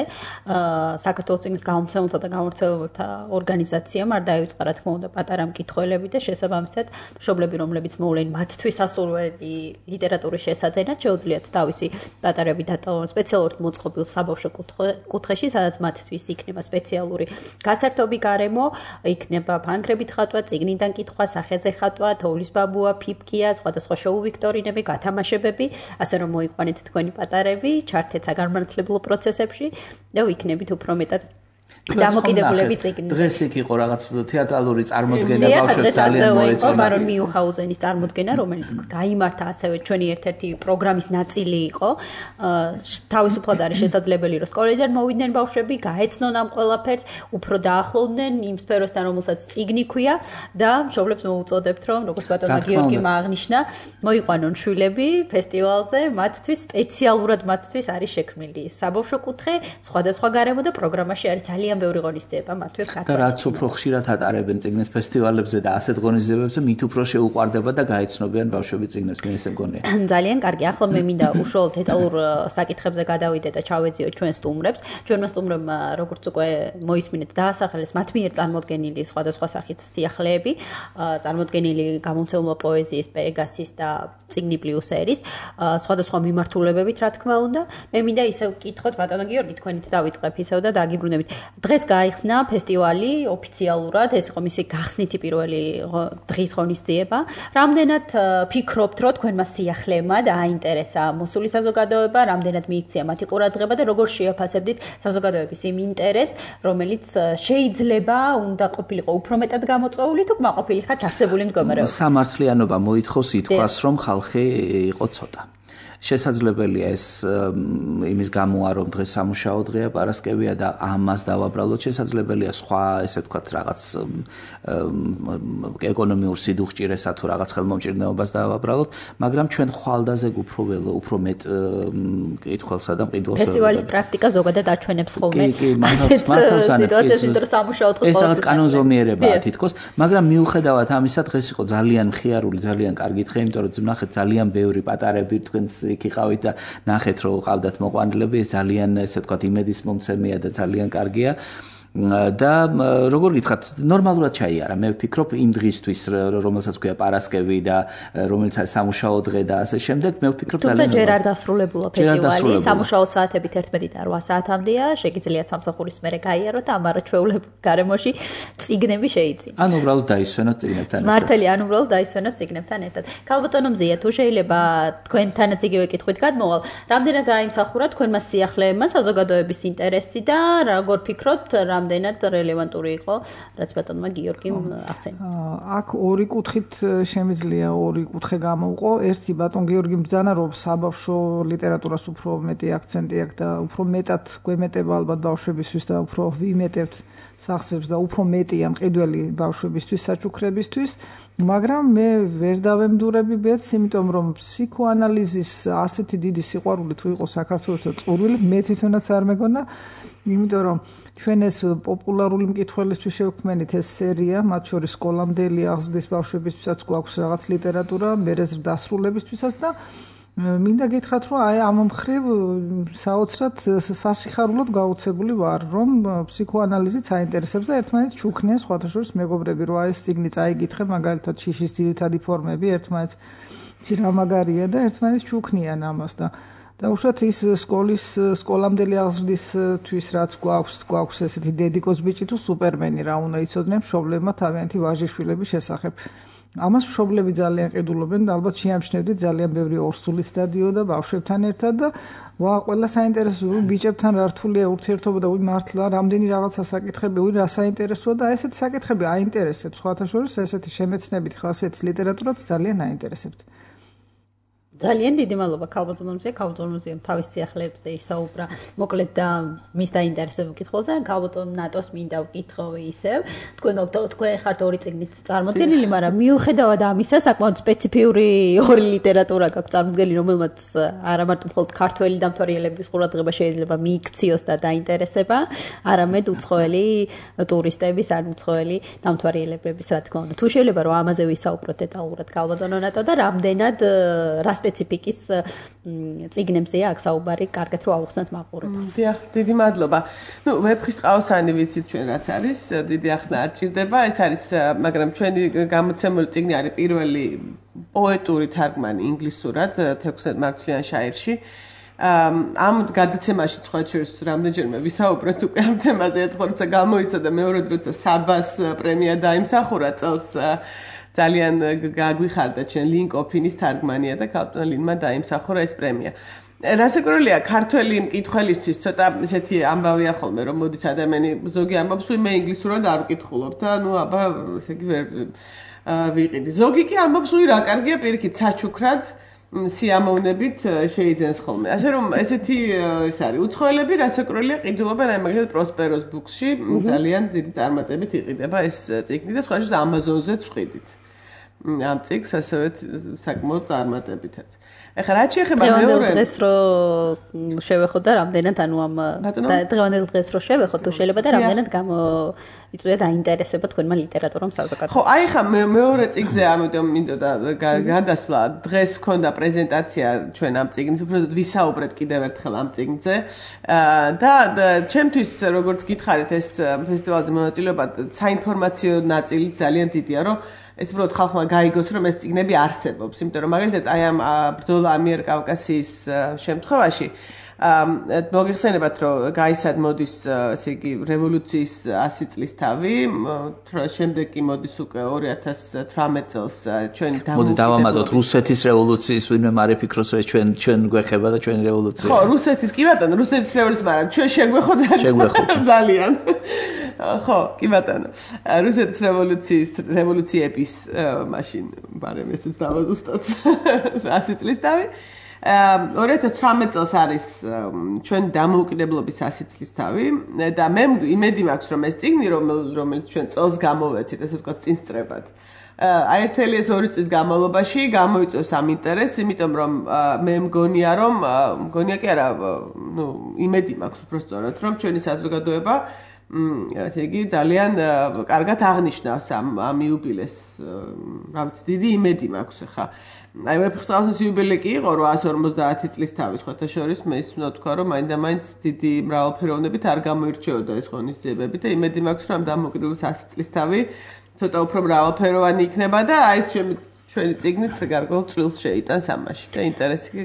საქართველოს წიგნის გამომცემელთა და გამავრცელებელთა ორგანიზაციამ არ დაივიწყარა თქმა უნდა პატარა მკითხველები და შესაბამისად მშობლები რომლებიც მოვლენ მათთვის ასურველი ლიტერატურის შესაძენად შეუძლიათ თავისი პატარები დატოვონ სპეციალურად მოწყობილ საბავშვო კუთხეში სადაც მათთვის იქნება სპეციალური გასართობი გარემო იქნება ფანქრებით ხატვა წიგნიდან კითხვა სახეზე ხატვა თოვლის ბაბუა ფიფკია სხვადასხვა შოუ ვიქტორინები გათამაშებები ასე რომ მოიყვანეთ თქვენი პატარები ჩართეთ საგანმანათლებლო პროცესებში და ვიქნებით უფრო მეტად დამოკიდებულები წიგნი. დღეს იქ იყო რაღაც თეატრალური წარმოდგენა ბავშვებს ძალიან მოეწონა. ბარონ მიუჰაუზენის წარმოდგენა, რომელიც გაიმართა ასევე ჩვენი ერთ-ერთი პროგრამის ნაწილი იყო. თავისუფლად არის შესაძლებელი, რომ სკოლიდან მოვიდნენ ბავშვები, გაეცნონ ამ ყველაფერს, უფრო დაახლოვდნენ იმ სფეროსთან, რომელსაც წიგნი ქვია და მშობლებს მოუწოდებთ, რომ როგორც ბატონმა გიორგიმ აღნიშნა, მოიყვანონ შვილები ფესტივალზე, მათთვის სპეციალურად მათთვის არის შექმნილი საბავშვო კუთხე, სხვადასხვა გარემო და პროგრამაში არის ძალიან ბევრი ღონისძიება მათთვის და რაც უფრო ხშირად ატარებენ წიგნის ფესტივალებზე და ასეთ ღონისძიებებზე მით უფრო შეუყვარდება და გაეცნობიან ბავშვები წიგნებს მე ესე მგონია ძალიან კარგი ახლა მე მინდა უშუალოდ დეტალურ საკითხებზე გადავიდე და ჩავეძიო ჩვენ სტუმრებს ჩვენმა სტუმრებმა როგორც უკვე მოისმინეთ დაასახელეს მათ მიერ წარმოდგენილი სხვადასხვა სახის სიახლეები წარმოდგენილი გამომცემლობა პოეზიის პეგასის და წიგნი პლუსერის სხვადასხვა მიმართულებებით რა თქმა უნდა მე მინდა ისევ ვკითხოთ ბატონო გიორგი თქვენით დავიწყებ ისევ და დაგიბრუნებით დღეს გაიხსნა ფესტივალი ოფიციალურად, ეს იყო მისი გახსნითი პირველი დღის ღონისძიება. რამდენად ფიქრობთ, რომ თქვენმა სიახლეებმა დააინტერესა მოსული საზოგადოება, რამდენად მიიქცია მათი ყურადღება და როგორ შეაფასებდით საზოგადოების იმ ინტერესს, რომელიც შეიძლება უნდა ყოფილიყო უფრო მეტად გამოწვეული თუ კმაყოფილი ხართ არსებული მდგომარეობით. სამართლიანობა მოითხოვს ითქვას, რომ ხალხი იყო ცოტა. შესაძლებელია ეს იმის გამოა რომ დღეს სამუშაო დღეა პარასკევია და ამას დავაბრალოთ შესაძლებელია სხვა ესე ვთქვათ რაღაც ეკონომიურ სიდუხჭირესა თუ რაღაც ხელმომჭირნეობას დავაბრალოთ მაგრამ ჩვენ ხვალდაზე უფრო მეტ კითხველსა და მყიდველს ფესტივალის პრაქტიკა ზოგადად აჩვენებს ხოლმე სიტუაციას ვინტერ სამუშაო დღეს ეს რაღაც კანონზომიერებაა თითქოს მაგრამ მიუხედავად ამისა დღეს იყო ძალიან მხიარული ძალიან კარგი დღე იმიტომ რომ ნახეთ ძალიან ბევრი პატარები თქვენს იქ იყავით და ნახეთ რომ ყავდათ მოყვანილები ეს ძალიან ესე ვთქვათ იმედის მომცემია და ძალიან კარგია და როგორ გითხრათ, ნორმალურად ჩაიარა. მე ვფიქრობ იმ დღისთვის, რომელსაც ქვია პარასკევი და რომელიც არის სამუშაო დღე და ასე შემდეგ, მე ვფიქრობ ძალიან თუმცა ჯერ არ დასრულებულა ფესტივალი, სამუშაო საათებით 11-დან 8 საათამდეა, შეგიძლიათ სამსახურის მერე გაიაროთ, ამარა ჩვეულებრივ გარემოში წიგნები შეიცინოთ. ანუ უბრალოდ დაისვენოთ წიგნებთან ერთად. მართალია, ანუ უბრალოდ დაისვენოთ წიგნებთან ერთად. ქალბატონო მზია, თუ შეიძლება თქვენთანაც იგივე კითხვით გადმოვალ, რამდენად დაიმსახურა თქვენმა სიახლეებმა საზოგადოების ინტერესი და როგორ ფიქრობთ, რამდენად რელევანტური იყო, რაც ბატონმა გიორგიმ ახსენა. აქ ორი კუთხით შემიძლია ორი კუთხე გამოვყო. ერთი ბატონ გიორგი ბრძანა, რომ საბავშვო ლიტერატურას უფრო მეტი აქცენტი აქვს და უფრო მეტად გვემეტება ალბათ ბავშვებისთვის და უფრო ვიმეტებთ სახსრებს და უფრო მეტია მყიდველი ბავშვებისთვის საჩუქრებისთვის, მაგრამ მე ვერ დავემდურები ბედს, იმიტომ რომ ფსიქოანალიზის ასეთი დიდი სიყვარული თუ იყო საქართველოს და წურვილი, მე თვითონაც არ მეგონა, იმიტომ რომ ჩვენ ეს პოპულარული მკითხველისთვის შევქმნით ეს სერია, მათ შორის სკოლამდელი აღზრდის ბავშვებისთვისაც გვაქვს რაღაც ლიტერატურა, მერე ზრდასრულებისთვისაც და მინდა გითხრათ, რომ აი ამ მხრივ საოცრად სასიხარულოდ გაუცებული ვარ, რომ ფსიქოანალიზით საინტერესებს და ერთმანეთს ჩუქნიან სხვათა შორის მეგობრები, რომ აი ეს წიგნი წაიგითხე, მაგალითად შიშის ძირითადი ფორმები ერთმანეთს ცირა მაგარია და ერთმანეთს ჩუქნიან ამას და უშუალოდ ის სკოლამდელი აღზრდისთვის რაც გვაქვს ესეთი დედიკოს ბიჭი თუ სუპერმენი რა უნდა იცოდნენ მშობლებმა თავიანთი ვაჟიშვილების შესახებ. ამას მშობლები ძალიან ყიდულობენ და ალბათ შეამჩნევდით ძალიან ბევრი ორსულით დადიოდა ბავშვებთან ერთად და ყველა საინტერესო ბიჭებთან რა რთულია ურთიერთობა და მართლა რამდენი რაღაცა საკითხები რა საინტერესოა და ესეთი საკითხები აინტერესებს სხვათა შორის ესეთი შემეცნებით ხასიათის ლიტერატურაც ძალიან აინტერესებთ. ძალიან დიდი მადლობა ქალბატონზე თავის სიახლეებზე ისაუბრა მოკლედ და მის დაინტერესებულ კითხვებზე ქალბატონ ნატოს მინდა ვკითხო ისევ თქვენ ხართ ორი წიგნით წარმოდგენილი მაგრამ მიუხედავად ამისა საკმაოდ სპეციფიური ორი ლიტერატურა გაქვთ წარმოდგენილი რომელმაც არა მარტო მხოლოდ ქართველი დამთვალიერებლების ყურადღება შეიძლება მიიქციოს და დაინტერესება არამედ უცხოელი ტურისტების ან უცხოელი დამთვალიერებლების რა თქმა უნდა თუ შეიძლება რომ ამაზე ვისაუბროთ დეტალურად ქალბატონო ნატო და რამდენად რა სპეციფიკის წიგნებზეა აქ საუბარი, კარგად რომ ავუხსნათ მაყურებელს. დიახ, დიდი მადლობა. ნუ ვეფხის ყავსანი ვიცით ჩვენ რაც არის, დიდი ახსნა არ ჭირდება, ეს არის, მაგრამ ჩვენი გამოცემული წიგნი არის პირველი პოეტური თარგმანი ინგლისურად 16 მარცვლიან შაირში. ამ გადაცემაში სხვა შორის რამდენჯერმე ვისაუბრეთ უკვე ამ თემაზე, ერთხელ როცა გამოიცა და მეორედ როცა საბას პრემია დაიმსახურა წელს ძალიან გაგვიხარდა ჩვენ ლინ კოფინის თარგმანია და ქალბატონ ლინმა დაიმსახურა ეს პრემია. რასაკვირველია, ქართველი მკითხველისთვის ცოტა ესეთი ამბავია ხოლმე, რომ მოდის ადამიანი ზოგი ამბობს, მე ინგლისურად არ ვკითხულობ და ნუ აბა ესე იგი ვერ ვიყიდი. ზოგი კი ამბობს, რა კარგია პირიქით საჩუქრად სიამოვნებით შეიძენს ხოლმე. ასე რომ ესეთი ეს არის უცხოელები რასაკვირველია ყიდულობენ აი მაგალითად პროსპეროს ბუქსში ძალიან დიდი წარმატებით იყიდება ეს წიგნი და სხვა შორის ამაზონზეც ვყიდით. ამ წიგს ასევე საკმაოდ წარმატებითაც. ეხლა რაც შეეხება მეორე დღეს რო შევეხოთ და რამდენად ანუ ამ დღევანდელ დღეს რო შევეხოთ თუ შეიძლება და რამდენად იწვია დაინტერესება თქვენმა ლიტერატურამ საზოგადოებაში. ხო, აი ხა მეორე წიგზე ამიტომ მინდოდა გადასვლა. დღეს მქონდა პრეზენტაცია ჩვენ ამ წიგნის, უბრალოდ ვისაუბრეთ კიდევ ერთხელ ამ წიგნზე. და ჩემთვის როგორც გითხარით ეს ფესტივალზე მონაწილეობა საინფორმაციო ნაწილი ძალიან დიდია, რომ ეს უბრალოდ ხალხმა გაიგოს, რომ ეს წიგნები არსებობს, იმიტომ რომ მაგალითად აი ამ ბრძოლა ამიერკავკასიის შემთხვევაში მოგიხსენებათ, რომ გაისად მოდის ესე იგი რევოლუციის 100 წლის თავი, შემდეგ კი მოდის უკვე 2018 წელს ჩვენი მოდი დავამატოთ რუსეთის რევოლუციის ვინმე მარე ფიქრობს, რომ ჩვენ გვეხება და ჩვენი რევოლუცია. ხო, რუსეთის კი ბატონო, რუსეთის რევოლუცია, მაგრამ ჩვენ შეგვეხოთ ძალიან. ხო, კი ბატონო. რუსეთის რევოლუციების მაშინ ბარემ ესეც დავაზუსტოთ 100 წლის თავი. 2018 წელს არის ჩვენ დამოუკიდებლობის 100 წლის თავი და მე იმედი მაქვს რომ ეს წიგნი რომელიც ჩვენ წელს გამოვეცით ესე ვთქვათ წინსწრებად აი მთელი ეს 2 წლის განმავლობაში გამოიწვევს ამ ინტერესს იმიტომ რომ მე მგონია კი არა ნუ იმედი მაქვს უბრალოდ რომ ჩვენი საზოგადოება ასე იგი ძალიან კარგად აღნიშნავს ამ იუბილეს. რა ვიცი, დიდი იმედი მაქვს ხა. აი ვეფხისტყაოსნის იუბილე კი იყო 150 წლის თავის ხოთა შორის მე ის უნდა თქვა რომ მაინც დიდი მრავალფეროვნებით არ გამოირჩეოდა ეს ღონისძიებები და იმედი მაქვს რომ დამოუკიდებლობის 100 წლის თავი ცოტა უფრო მრავალფეროვანი იქნება და აი ეს ჩვენი წიგნიც გარკვეულ წვლილს შეიტანს ამაში და ინტერესი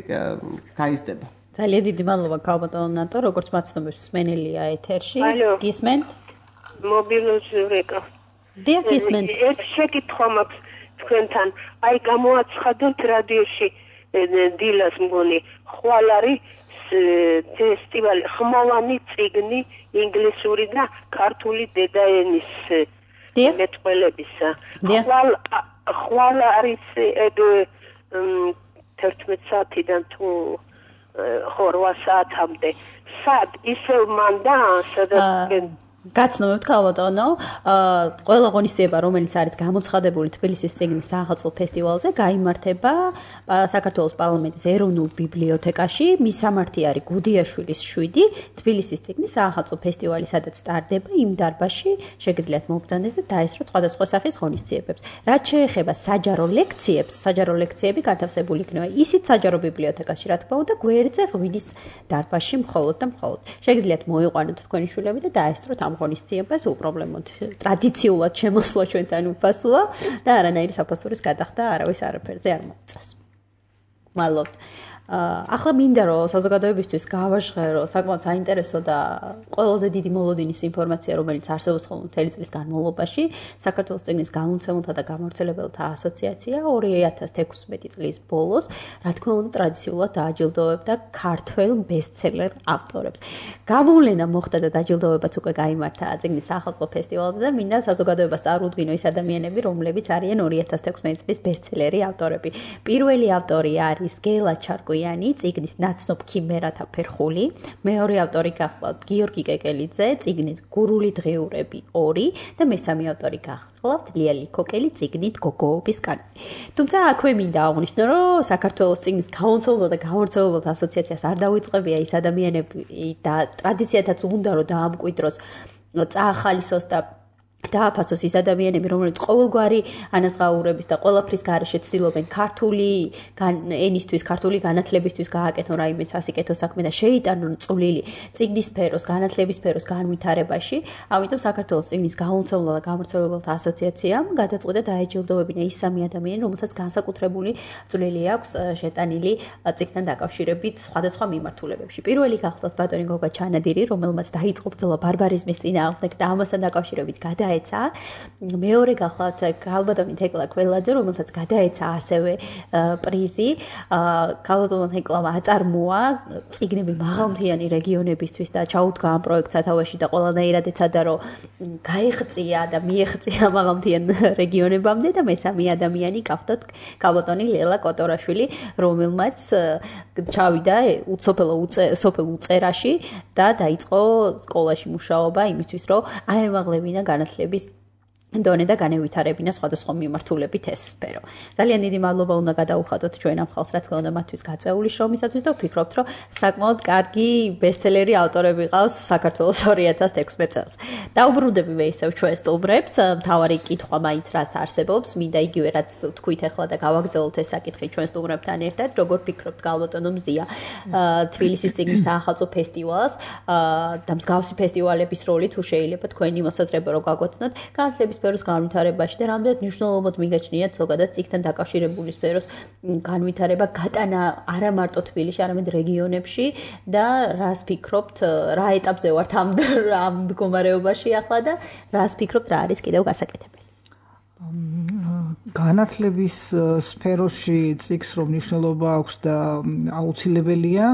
გაიზრდება. ძალიან დიდი მადლობა ქალბატონო ნატო, როგორც მაცნობებს სმენელია ეთერში. გისმენთ? მობილიზურეკა. დიახ, გისმენთ. ერთ შეკითხვა მაქვს თქვენთან. აი გამოაცხადეთ რადიოში დილას მგონი ხვალ არის ფესტივალი ხმოვანი წიგნი ინგლისური და ქართული დედაენის მეტყველებისა. ხვალ არის 11 საათიდან თუ 8 საათამდე. სად ისევ მანდა სადაც გაცნობთ ქალბატონო, ყველა ღონისძიება, რომელიც არის გამოცხადებული თბილისის წიგნის საახალწლო ფესტივალზე, გაიმართება საქართველოს პარლამენტის ეროვნულ ბიბლიოთეკაში. მის სამართი არის გუდიაშვილის 7, თბილისის წიგნის საახალწლო ფესტივალი, სადაც სტარდება იმ დარბაზში, შეგიძლიათ მობრძანდეთ და დაესწროთ სხვადასხვა სახის ღონისძიებებს. რაც შეეხება საჯარო ლექციებს, საჯარო ლექციები გათავსებული იქნება ისიც საჯარო ბიბლიოთეკაში, რა თქმა უნდა, გვერდზე ღვინის დარბაზში მხოლოდ და მხოლოდ. შეგიძლიათ მოიყვანოთ თქვენი შვილები და დაესწროთ ამ ღონისძიებას უპრობლემოდ ტრადიციულად შემოსვლა ჩვენთან უფასოა და არანაირი საფასურის გადახდა არავის არაფერზე არ მოიწევს. მადლობთ. ახლა მინდა რომ საზოგადოებისთვის გავაჟღერო საკმაოდ საინტერესო და ყველაზე დიდი მოლოდინის ინფორმაცია, რომელიც არსებობს ხოლმე მთელი წლის განმავლობაში, საქართველოს წიგნის გამომცემელთა და გამავრცელებელთა ასოციაცია 2016 წლის ბოლოს, რა თქმა უნდა, ტრადიციულად დააჯილდოვებდა ქართველ ბესტსელერ ავტორებს. გამოვლენა მოხდა და დაჯილდოვებაც უკვე გაიმართა წიგნის საახალწლო ფესტივალზე და მინდა საზოგადოებას წარუდგინო ის ადამიანები, რომლებიც არიან 2016 წლის ბესტსელერი ავტორები. პირველი ავტორი არის გელა ჩარკუ წიგნის ნაცნობ ქიმერათა ფერხული, მეორე ავტორი გახლავთ გიორგი კეკელიძე, წიგნით გურული დღიურები 2 და მესამე ავტორი გახლავთ ლია ლიქოკელი, წიგნით გოგოობის კანონი. თუმცა აქვე მინდა აღვნიშნო, რომ საქართველოს წიგნის გამომცემელთა და გამავრცელებელთა ასოციაციას არ დავიწყებია ის ადამიანები და ტრადიციათაც უნდა რომ დაამკვიდროს, წაახალისოს და დააფასოს ის ადამიანები, რომლებიც ყოველგვარი ანაზღაურების და ყველაფრის გარეშე ცდილობენ ქართული ენისთვის, ქართული განათლებისთვის გააკეთონ რაიმე სასიკეთო საქმე და შეიტანონ წვლილი წიგნის სფეროს, განათლების სფეროს განვითარებაში. ამიტომ საქართველოს წიგნის გამომცემელთა და გამავრცელებელთა ასოციაციამ გადაწყვიტა დაეჯილდოვებინა ის სამი ადამიანი, რომელსაც განსაკუთრებული წვლილი აქვს შეტანილი წიგნთან დაკავშირებით სხვადასხვა მიმართულებებში. პირველი გახლავთ ბატონი გოგა ჩანადირი, რომელმაც დაიწყო ბრძოლა ბარბარიზმის წინააღმდეგ და ამასთან დაკავშირებით გადაეცა. მეორე გახლავთ ქალბატონი თეკლა კველაძე, რომელსაც გადაეცა ასევე პრიზი. ქალბატონმა თეკლამ აწარმოა წიგნები მაღალმთიანი რეგიონებისთვის და ჩაუდგა ამ პროექტს სათავეში და ყველანაირად ეცადა, რომ გაეღწია და მიეღწია მაღალმთიან რეგიონებამდე და მესამე ადამიანი გახლავთ ქალბატონი ლელა კოტორაშვილი, რომელმაც ჩავიდა სოფელ უწერაში და დაიწყო სკოლაში მუშაობა იმისთვის, რომ აემაღლებინა განათლების დონე და განევითარებინა სხვადასხვა მიმართულებით ეს სფერო. ძალიან დიდი მადლობა უნდა გადაუხადოთ ჩვენ ამ ხალხს, რა თქმა უნდა, მათთვის გაწეული შრომისათვის და ვფიქრობთ, რომ საკმაოდ კარგი ბესტსელერი ავტორები ყავს საქართველოს 2016 წელს. დაუბრუნდები მე ისევ ჩვენ სტუმრებს, მთავარი კითხვა მაინც რას არსებობს, მინდა იგივე რაც თქვით ახლა და გავაგრძელოთ ეს საკითხი ჩვენ სტუმრებთან ერთად, როგორ ფიქრობთ ქალბატონო მზია თბილისის წიგნის საახალწლო ფესტივალს და მსგავსი ფესტივალების როლი თუ შეიძლება თქვენი მოსაზრება რო გაგვაცნოთ განათლების სფეროს განვითარებაში და რამდენად მნიშვნელოვნად მიგაჩნიათ ზოგადად წიგნთან დაკავშირებული სფეროს განვითარება გატანა არა მარტო თბილისში, არამედ რეგიონებში და რას ფიქრობთ, რა ეტაპზე ვართ ამ მდგომარეობაში ახლა და რას ფიქრობთ, რა არის კიდევ გასაკეთებელი? განათლების სფეროში წიგნს რომ მნიშვნელობა აქვს და აუცილებელია,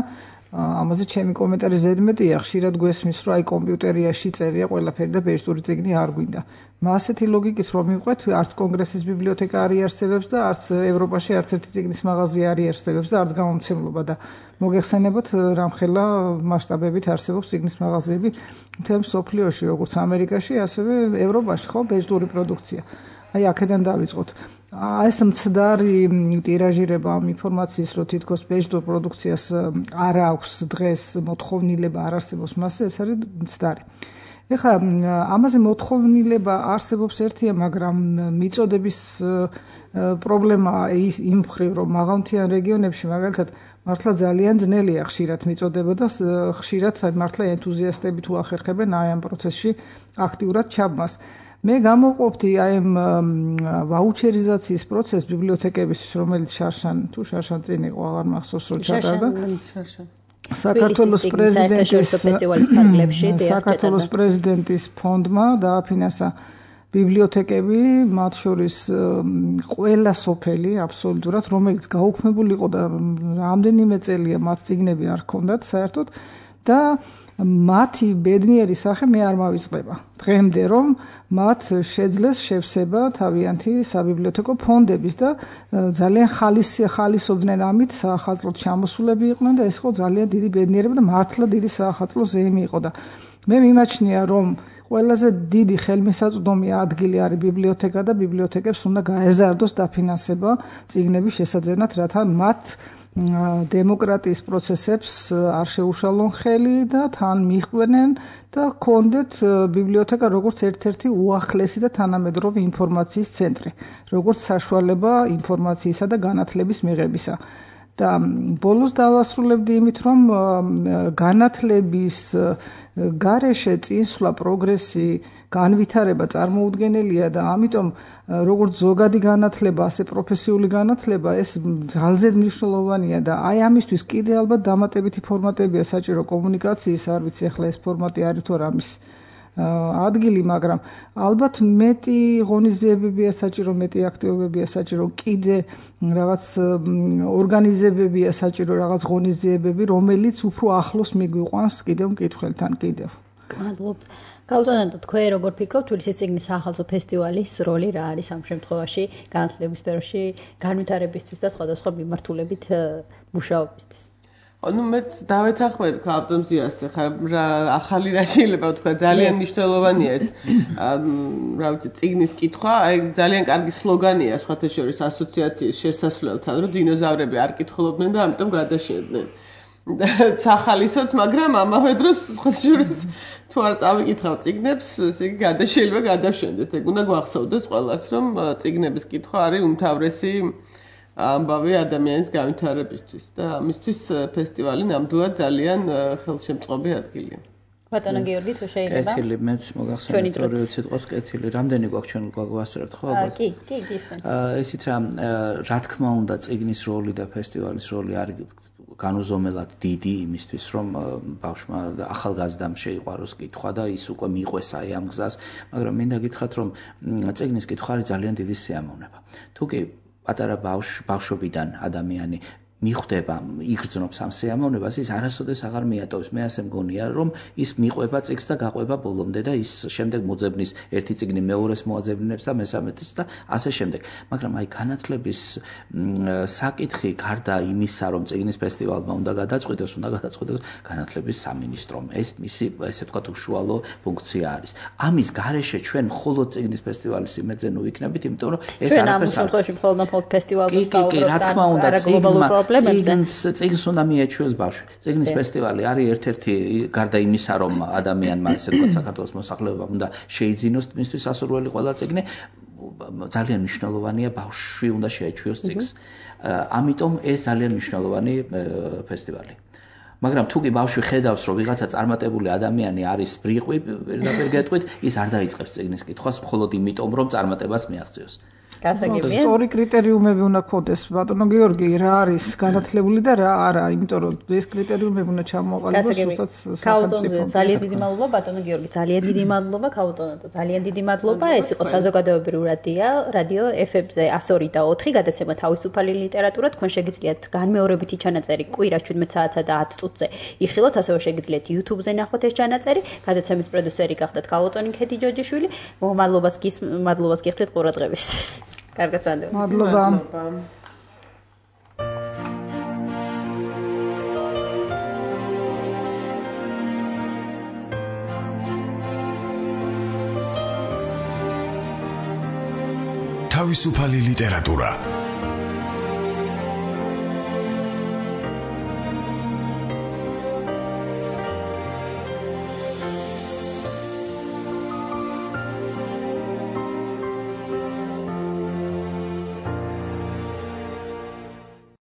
ამაზე ჩემი კომენტარი ზედმეტია, ხშირად გვესმის, რომ აი კომპიუტერიაში წერია ყველაფერი და ბეჭდური წიგნი არ გვინდა. ასეთი ლოგიკით რომ მივყვეთ, არც კონგრესის ბიბლიოთეკა არ იარსებებს და არც ევროპაში არც ერთი წიგნის მაღაზია არ იარსებებს და არც გამომცემლობა და მოგეხსენებათ რამხელა მასშტაბებით არსებობს წიგნის მაღაზიები მთელ მსოფლიოში, როგორც ამერიკაში, ასევე ევროპაში, ხო, ბეჭდური პროდუქცია. აი აქედან დავიწყოთ. ეს მცდარი ტირაჟირება ამ ინფორმაციის, რომ თითქოს ბეჭდურ პროდუქციას არ აქვს დღეს მოთხოვნილება, არ არსებობს მასზე, ეს არის მცდარი. ეხლა ამაზე მოთხოვნილება არსებობს ერთია, მაგრამ მიწოდების პრობლემა ის იმ მხრივ, რომ მაღალმთიან რეგიონებში მაგალითად მართლა ძალიან ძნელია ხშირად მიწოდება და ხშირად მართლა ენთუზიასტები თუ ახერხებენ აი ამ პროცესში აქტიურად ჩაბმას. მე გამოვყოფდი აი ამ ვაუჩერიზაციის პროცესს ბიბლიოთეკებისთვის, რომელიც შარშან წინ იყო, აღარ მახსოვს რომ ჩატარდა. საქართველოს პრეზიდენტის ფონდმა დააფინანსა ბიბლიოთეკები, მათ შორის ყველა სოფელი აბსოლუტურად, რომელიც გაუქმებული იყო და რამდენიმე წელია მათ წიგნები არ ჰქონდათ საერთოდ და მათი ბედნიერი სახე მე არ მავიწყდება. დღემდე რომ მათ შეძლეს შევსება თავიანთი საბიბლიოთეკო ფონდების და ძალიან ხალისობდნენ ამით, საახალწლოდ ჩამოსულები იყვნენ და ეს იყო ძალიან დიდი ბედნიერება და მართლა დიდი საახალწლო ზეიმი იყო და მე მიმაჩნია რომ ყველაზე დიდი ხელმისაწვდომი ადგილი არის ბიბლიოთეკა და ბიბლიოთეკებს უნდა გაეზარდოს დაფინანსება წიგნების შესაძენად, რათა მათ დემოკრატიის პროცესებს არ შეუშალონ ხელი და თან მიჰყვნენ და ჰქონდეთ ბიბლიოთეკა როგორც ერთ-ერთი უახლესი და თანამედროვე ინფორმაციის ცენტრი, როგორც საშუალება ინფორმაციისა და განათლების მიღებისა. და ბოლოს დავასრულებდი იმით, რომ განათლების გარეშე წინსვლა, პროგრესი, განვითარება წარმოუდგენელია და ამიტომ როგორც ზოგადი განათლება, ასე პროფესიული განათლება ეს ძალზედ მნიშვნელოვანია და აი ამისთვის კიდე ალბათ დამატებითი ფორმატებია საჭირო კომუნიკაციის, არ ვიცი ახლა ეს ფორმატი არის თუ არა ამის ადგილი, მაგრამ ალბათ მეტი ღონისძიებებია საჭირო, მეტი აქტივობებია საჭირო, კიდე რაღაც ორგანიზებებია საჭირო, რაღაც ღონისძიებები, რომელიც უფრო ახლოს მიგვიყვანს კიდევ მკითხველთან კიდევ. მადლობთ. გაუტანოთ თქვენ როგორ ფიქრობთ, თბილისის წიგნის სახალხო ფესტივალის როლი რა არის ამ შემთხვევაში განათლების სფეროში, განვითარებისთვის და სხვადასხვა მიმართულებით მუშაობისთვის? ну მეც დავეთანხმები ავტომზიას ხა ახალი რა შეიძლება ვთქვა ძალიან მნიშვნელოვანია ეს რა ვიცი წიგნის კითხვა აი ძალიან კარგი სლოგანია სხვათა შორის ასოციაციის შესასვლელთან რომ დინოზავრები არ კითხულობდნენ და ამიტომ გადაშენდნენ სახალისოც მაგრამ ამავე დროს სხვათა შორის თუ არ წავიკითხავ წიგნებს ესე იგი გადაშენდება გადავშენდეთ ეგ უნდა გვახსოვდეს ყველას რომ წიგნების კითხვა არის უმთავრესი ამბავი ადამიანის განვითარებისთვის და ამისთვის ფესტივალი ნამდვილად ძალიან ხელშემწყობი ადგილია. ბატონო გიორგი თუ შეიძლება? კეთილი მეც მოგახსენეთ ორივე სიტყვას კეთილი. რამდენი გვაქვს ჩვენ გვაგვასწრებთ ხო ალბათ? კი, გისმენთ. ესით რა თქმა უნდა წიგნის როლი და ფესტივალის როლი არის განუზომელად დიდი იმისთვის რომ ბავშვმა ახალგაზრდამ შეიყვაროს კითხვა და ის უკვე მიყვეს აი ამ გზას, მაგრამ მინდა გითხრათ რომ წიგნის კითხვა არის ძალიან დიდი სიამოვნება. თუ კი პატარა ბავშვობიდან ადამიანი მიხვდება, იგრძნობს ამ სიამოვნებას, ის არასოდეს აღარ მიატოვებს. მე ასე მგონია, რომ ის მიყვება წიგნს და გაყვება ბოლომდე და ის შემდეგ მოძებნის ერთი წიგნი მეორეს მოაძებნებს და მესამეdes და ასე შემდეგ. მაგრამ აი განათლების საკითხი გარდა იმისა, რომ წიგნის ფესტივალმა უნდა გადაწყვიტოს განათლების სამინისტრომ. ეს მისი ესე ვთქვათ უშუალო ფუნქცია არის. ამის გარეშე ჩვენ მხოლოდ წიგნის ფესტივალის იმედზე ნუ ვიქნებით, იმიტომ რომ ეს არაფერს არ შემთხვევაში მხოლოდ ფესტივალზე ვსაუბრობთ რა თქმა უნდა წიგნს უნდა მიეჩვიოს ბავშვი. წიგნის ფესტივალი არის ერთ-ერთი გარდა იმისა, რომ ადამიანმა ესე ვთქვათ საქართველოს მოსახლეობამ უნდა შეიძინოს მისთვის ასურველი ყველა წიგნი, ძალიან მნიშვნელოვანია ბავშვი უნდა შეეჩვიოს წიგნს. ამიტომ ეს ძალიან მნიშვნელოვანი ფესტივალი. მაგრამ თუ კი ბავშვი ხედავს, რომ ვიღაცა წარმატებული ადამიანი არის ბრიყვი, პირდაპირ გეტყვით, ის არ დაიწყებს წიგნის კითხვას მხოლოდ იმიტომ, რომ წარმატებას მიაღწიოს. სწორი კრიტერიუმები უნდა გქონდეს ბატონო გიორგი რა არის განათლებული და რა არა, იმიტომ რომ ეს კრიტერიუმები უნდა ჩამოყალიბოს ზუსტად სახელმწიფომ. ძალიან დიდი მადლობა ბატონო გიორგი, ძალიან დიდი მადლობა ქაუტონატო, ძალიან დიდი მადლობა. ეს იყო საზოგადოებრივი რადიო FM-ზე 102 და 4 გადაცემა თავისუფალი ლიტერატურა. თქვენ შეგიძლიათ განმეორებითი ჩანაწერი კვირას 17 საათსა და 10 წუთზე იხილოთ, ასევე შეგიძლიათ YouTube-ზე ნახოთ ეს ჩანაწერი. გადაცემის პროდიუსერი გახდათ ქაუტონი ქედი ჯოჯიშვილი. მადლობას გიხდით ყურადღებისთვის. კარგად წადეო. მადლობა. თავისუფალი ლიტერატურა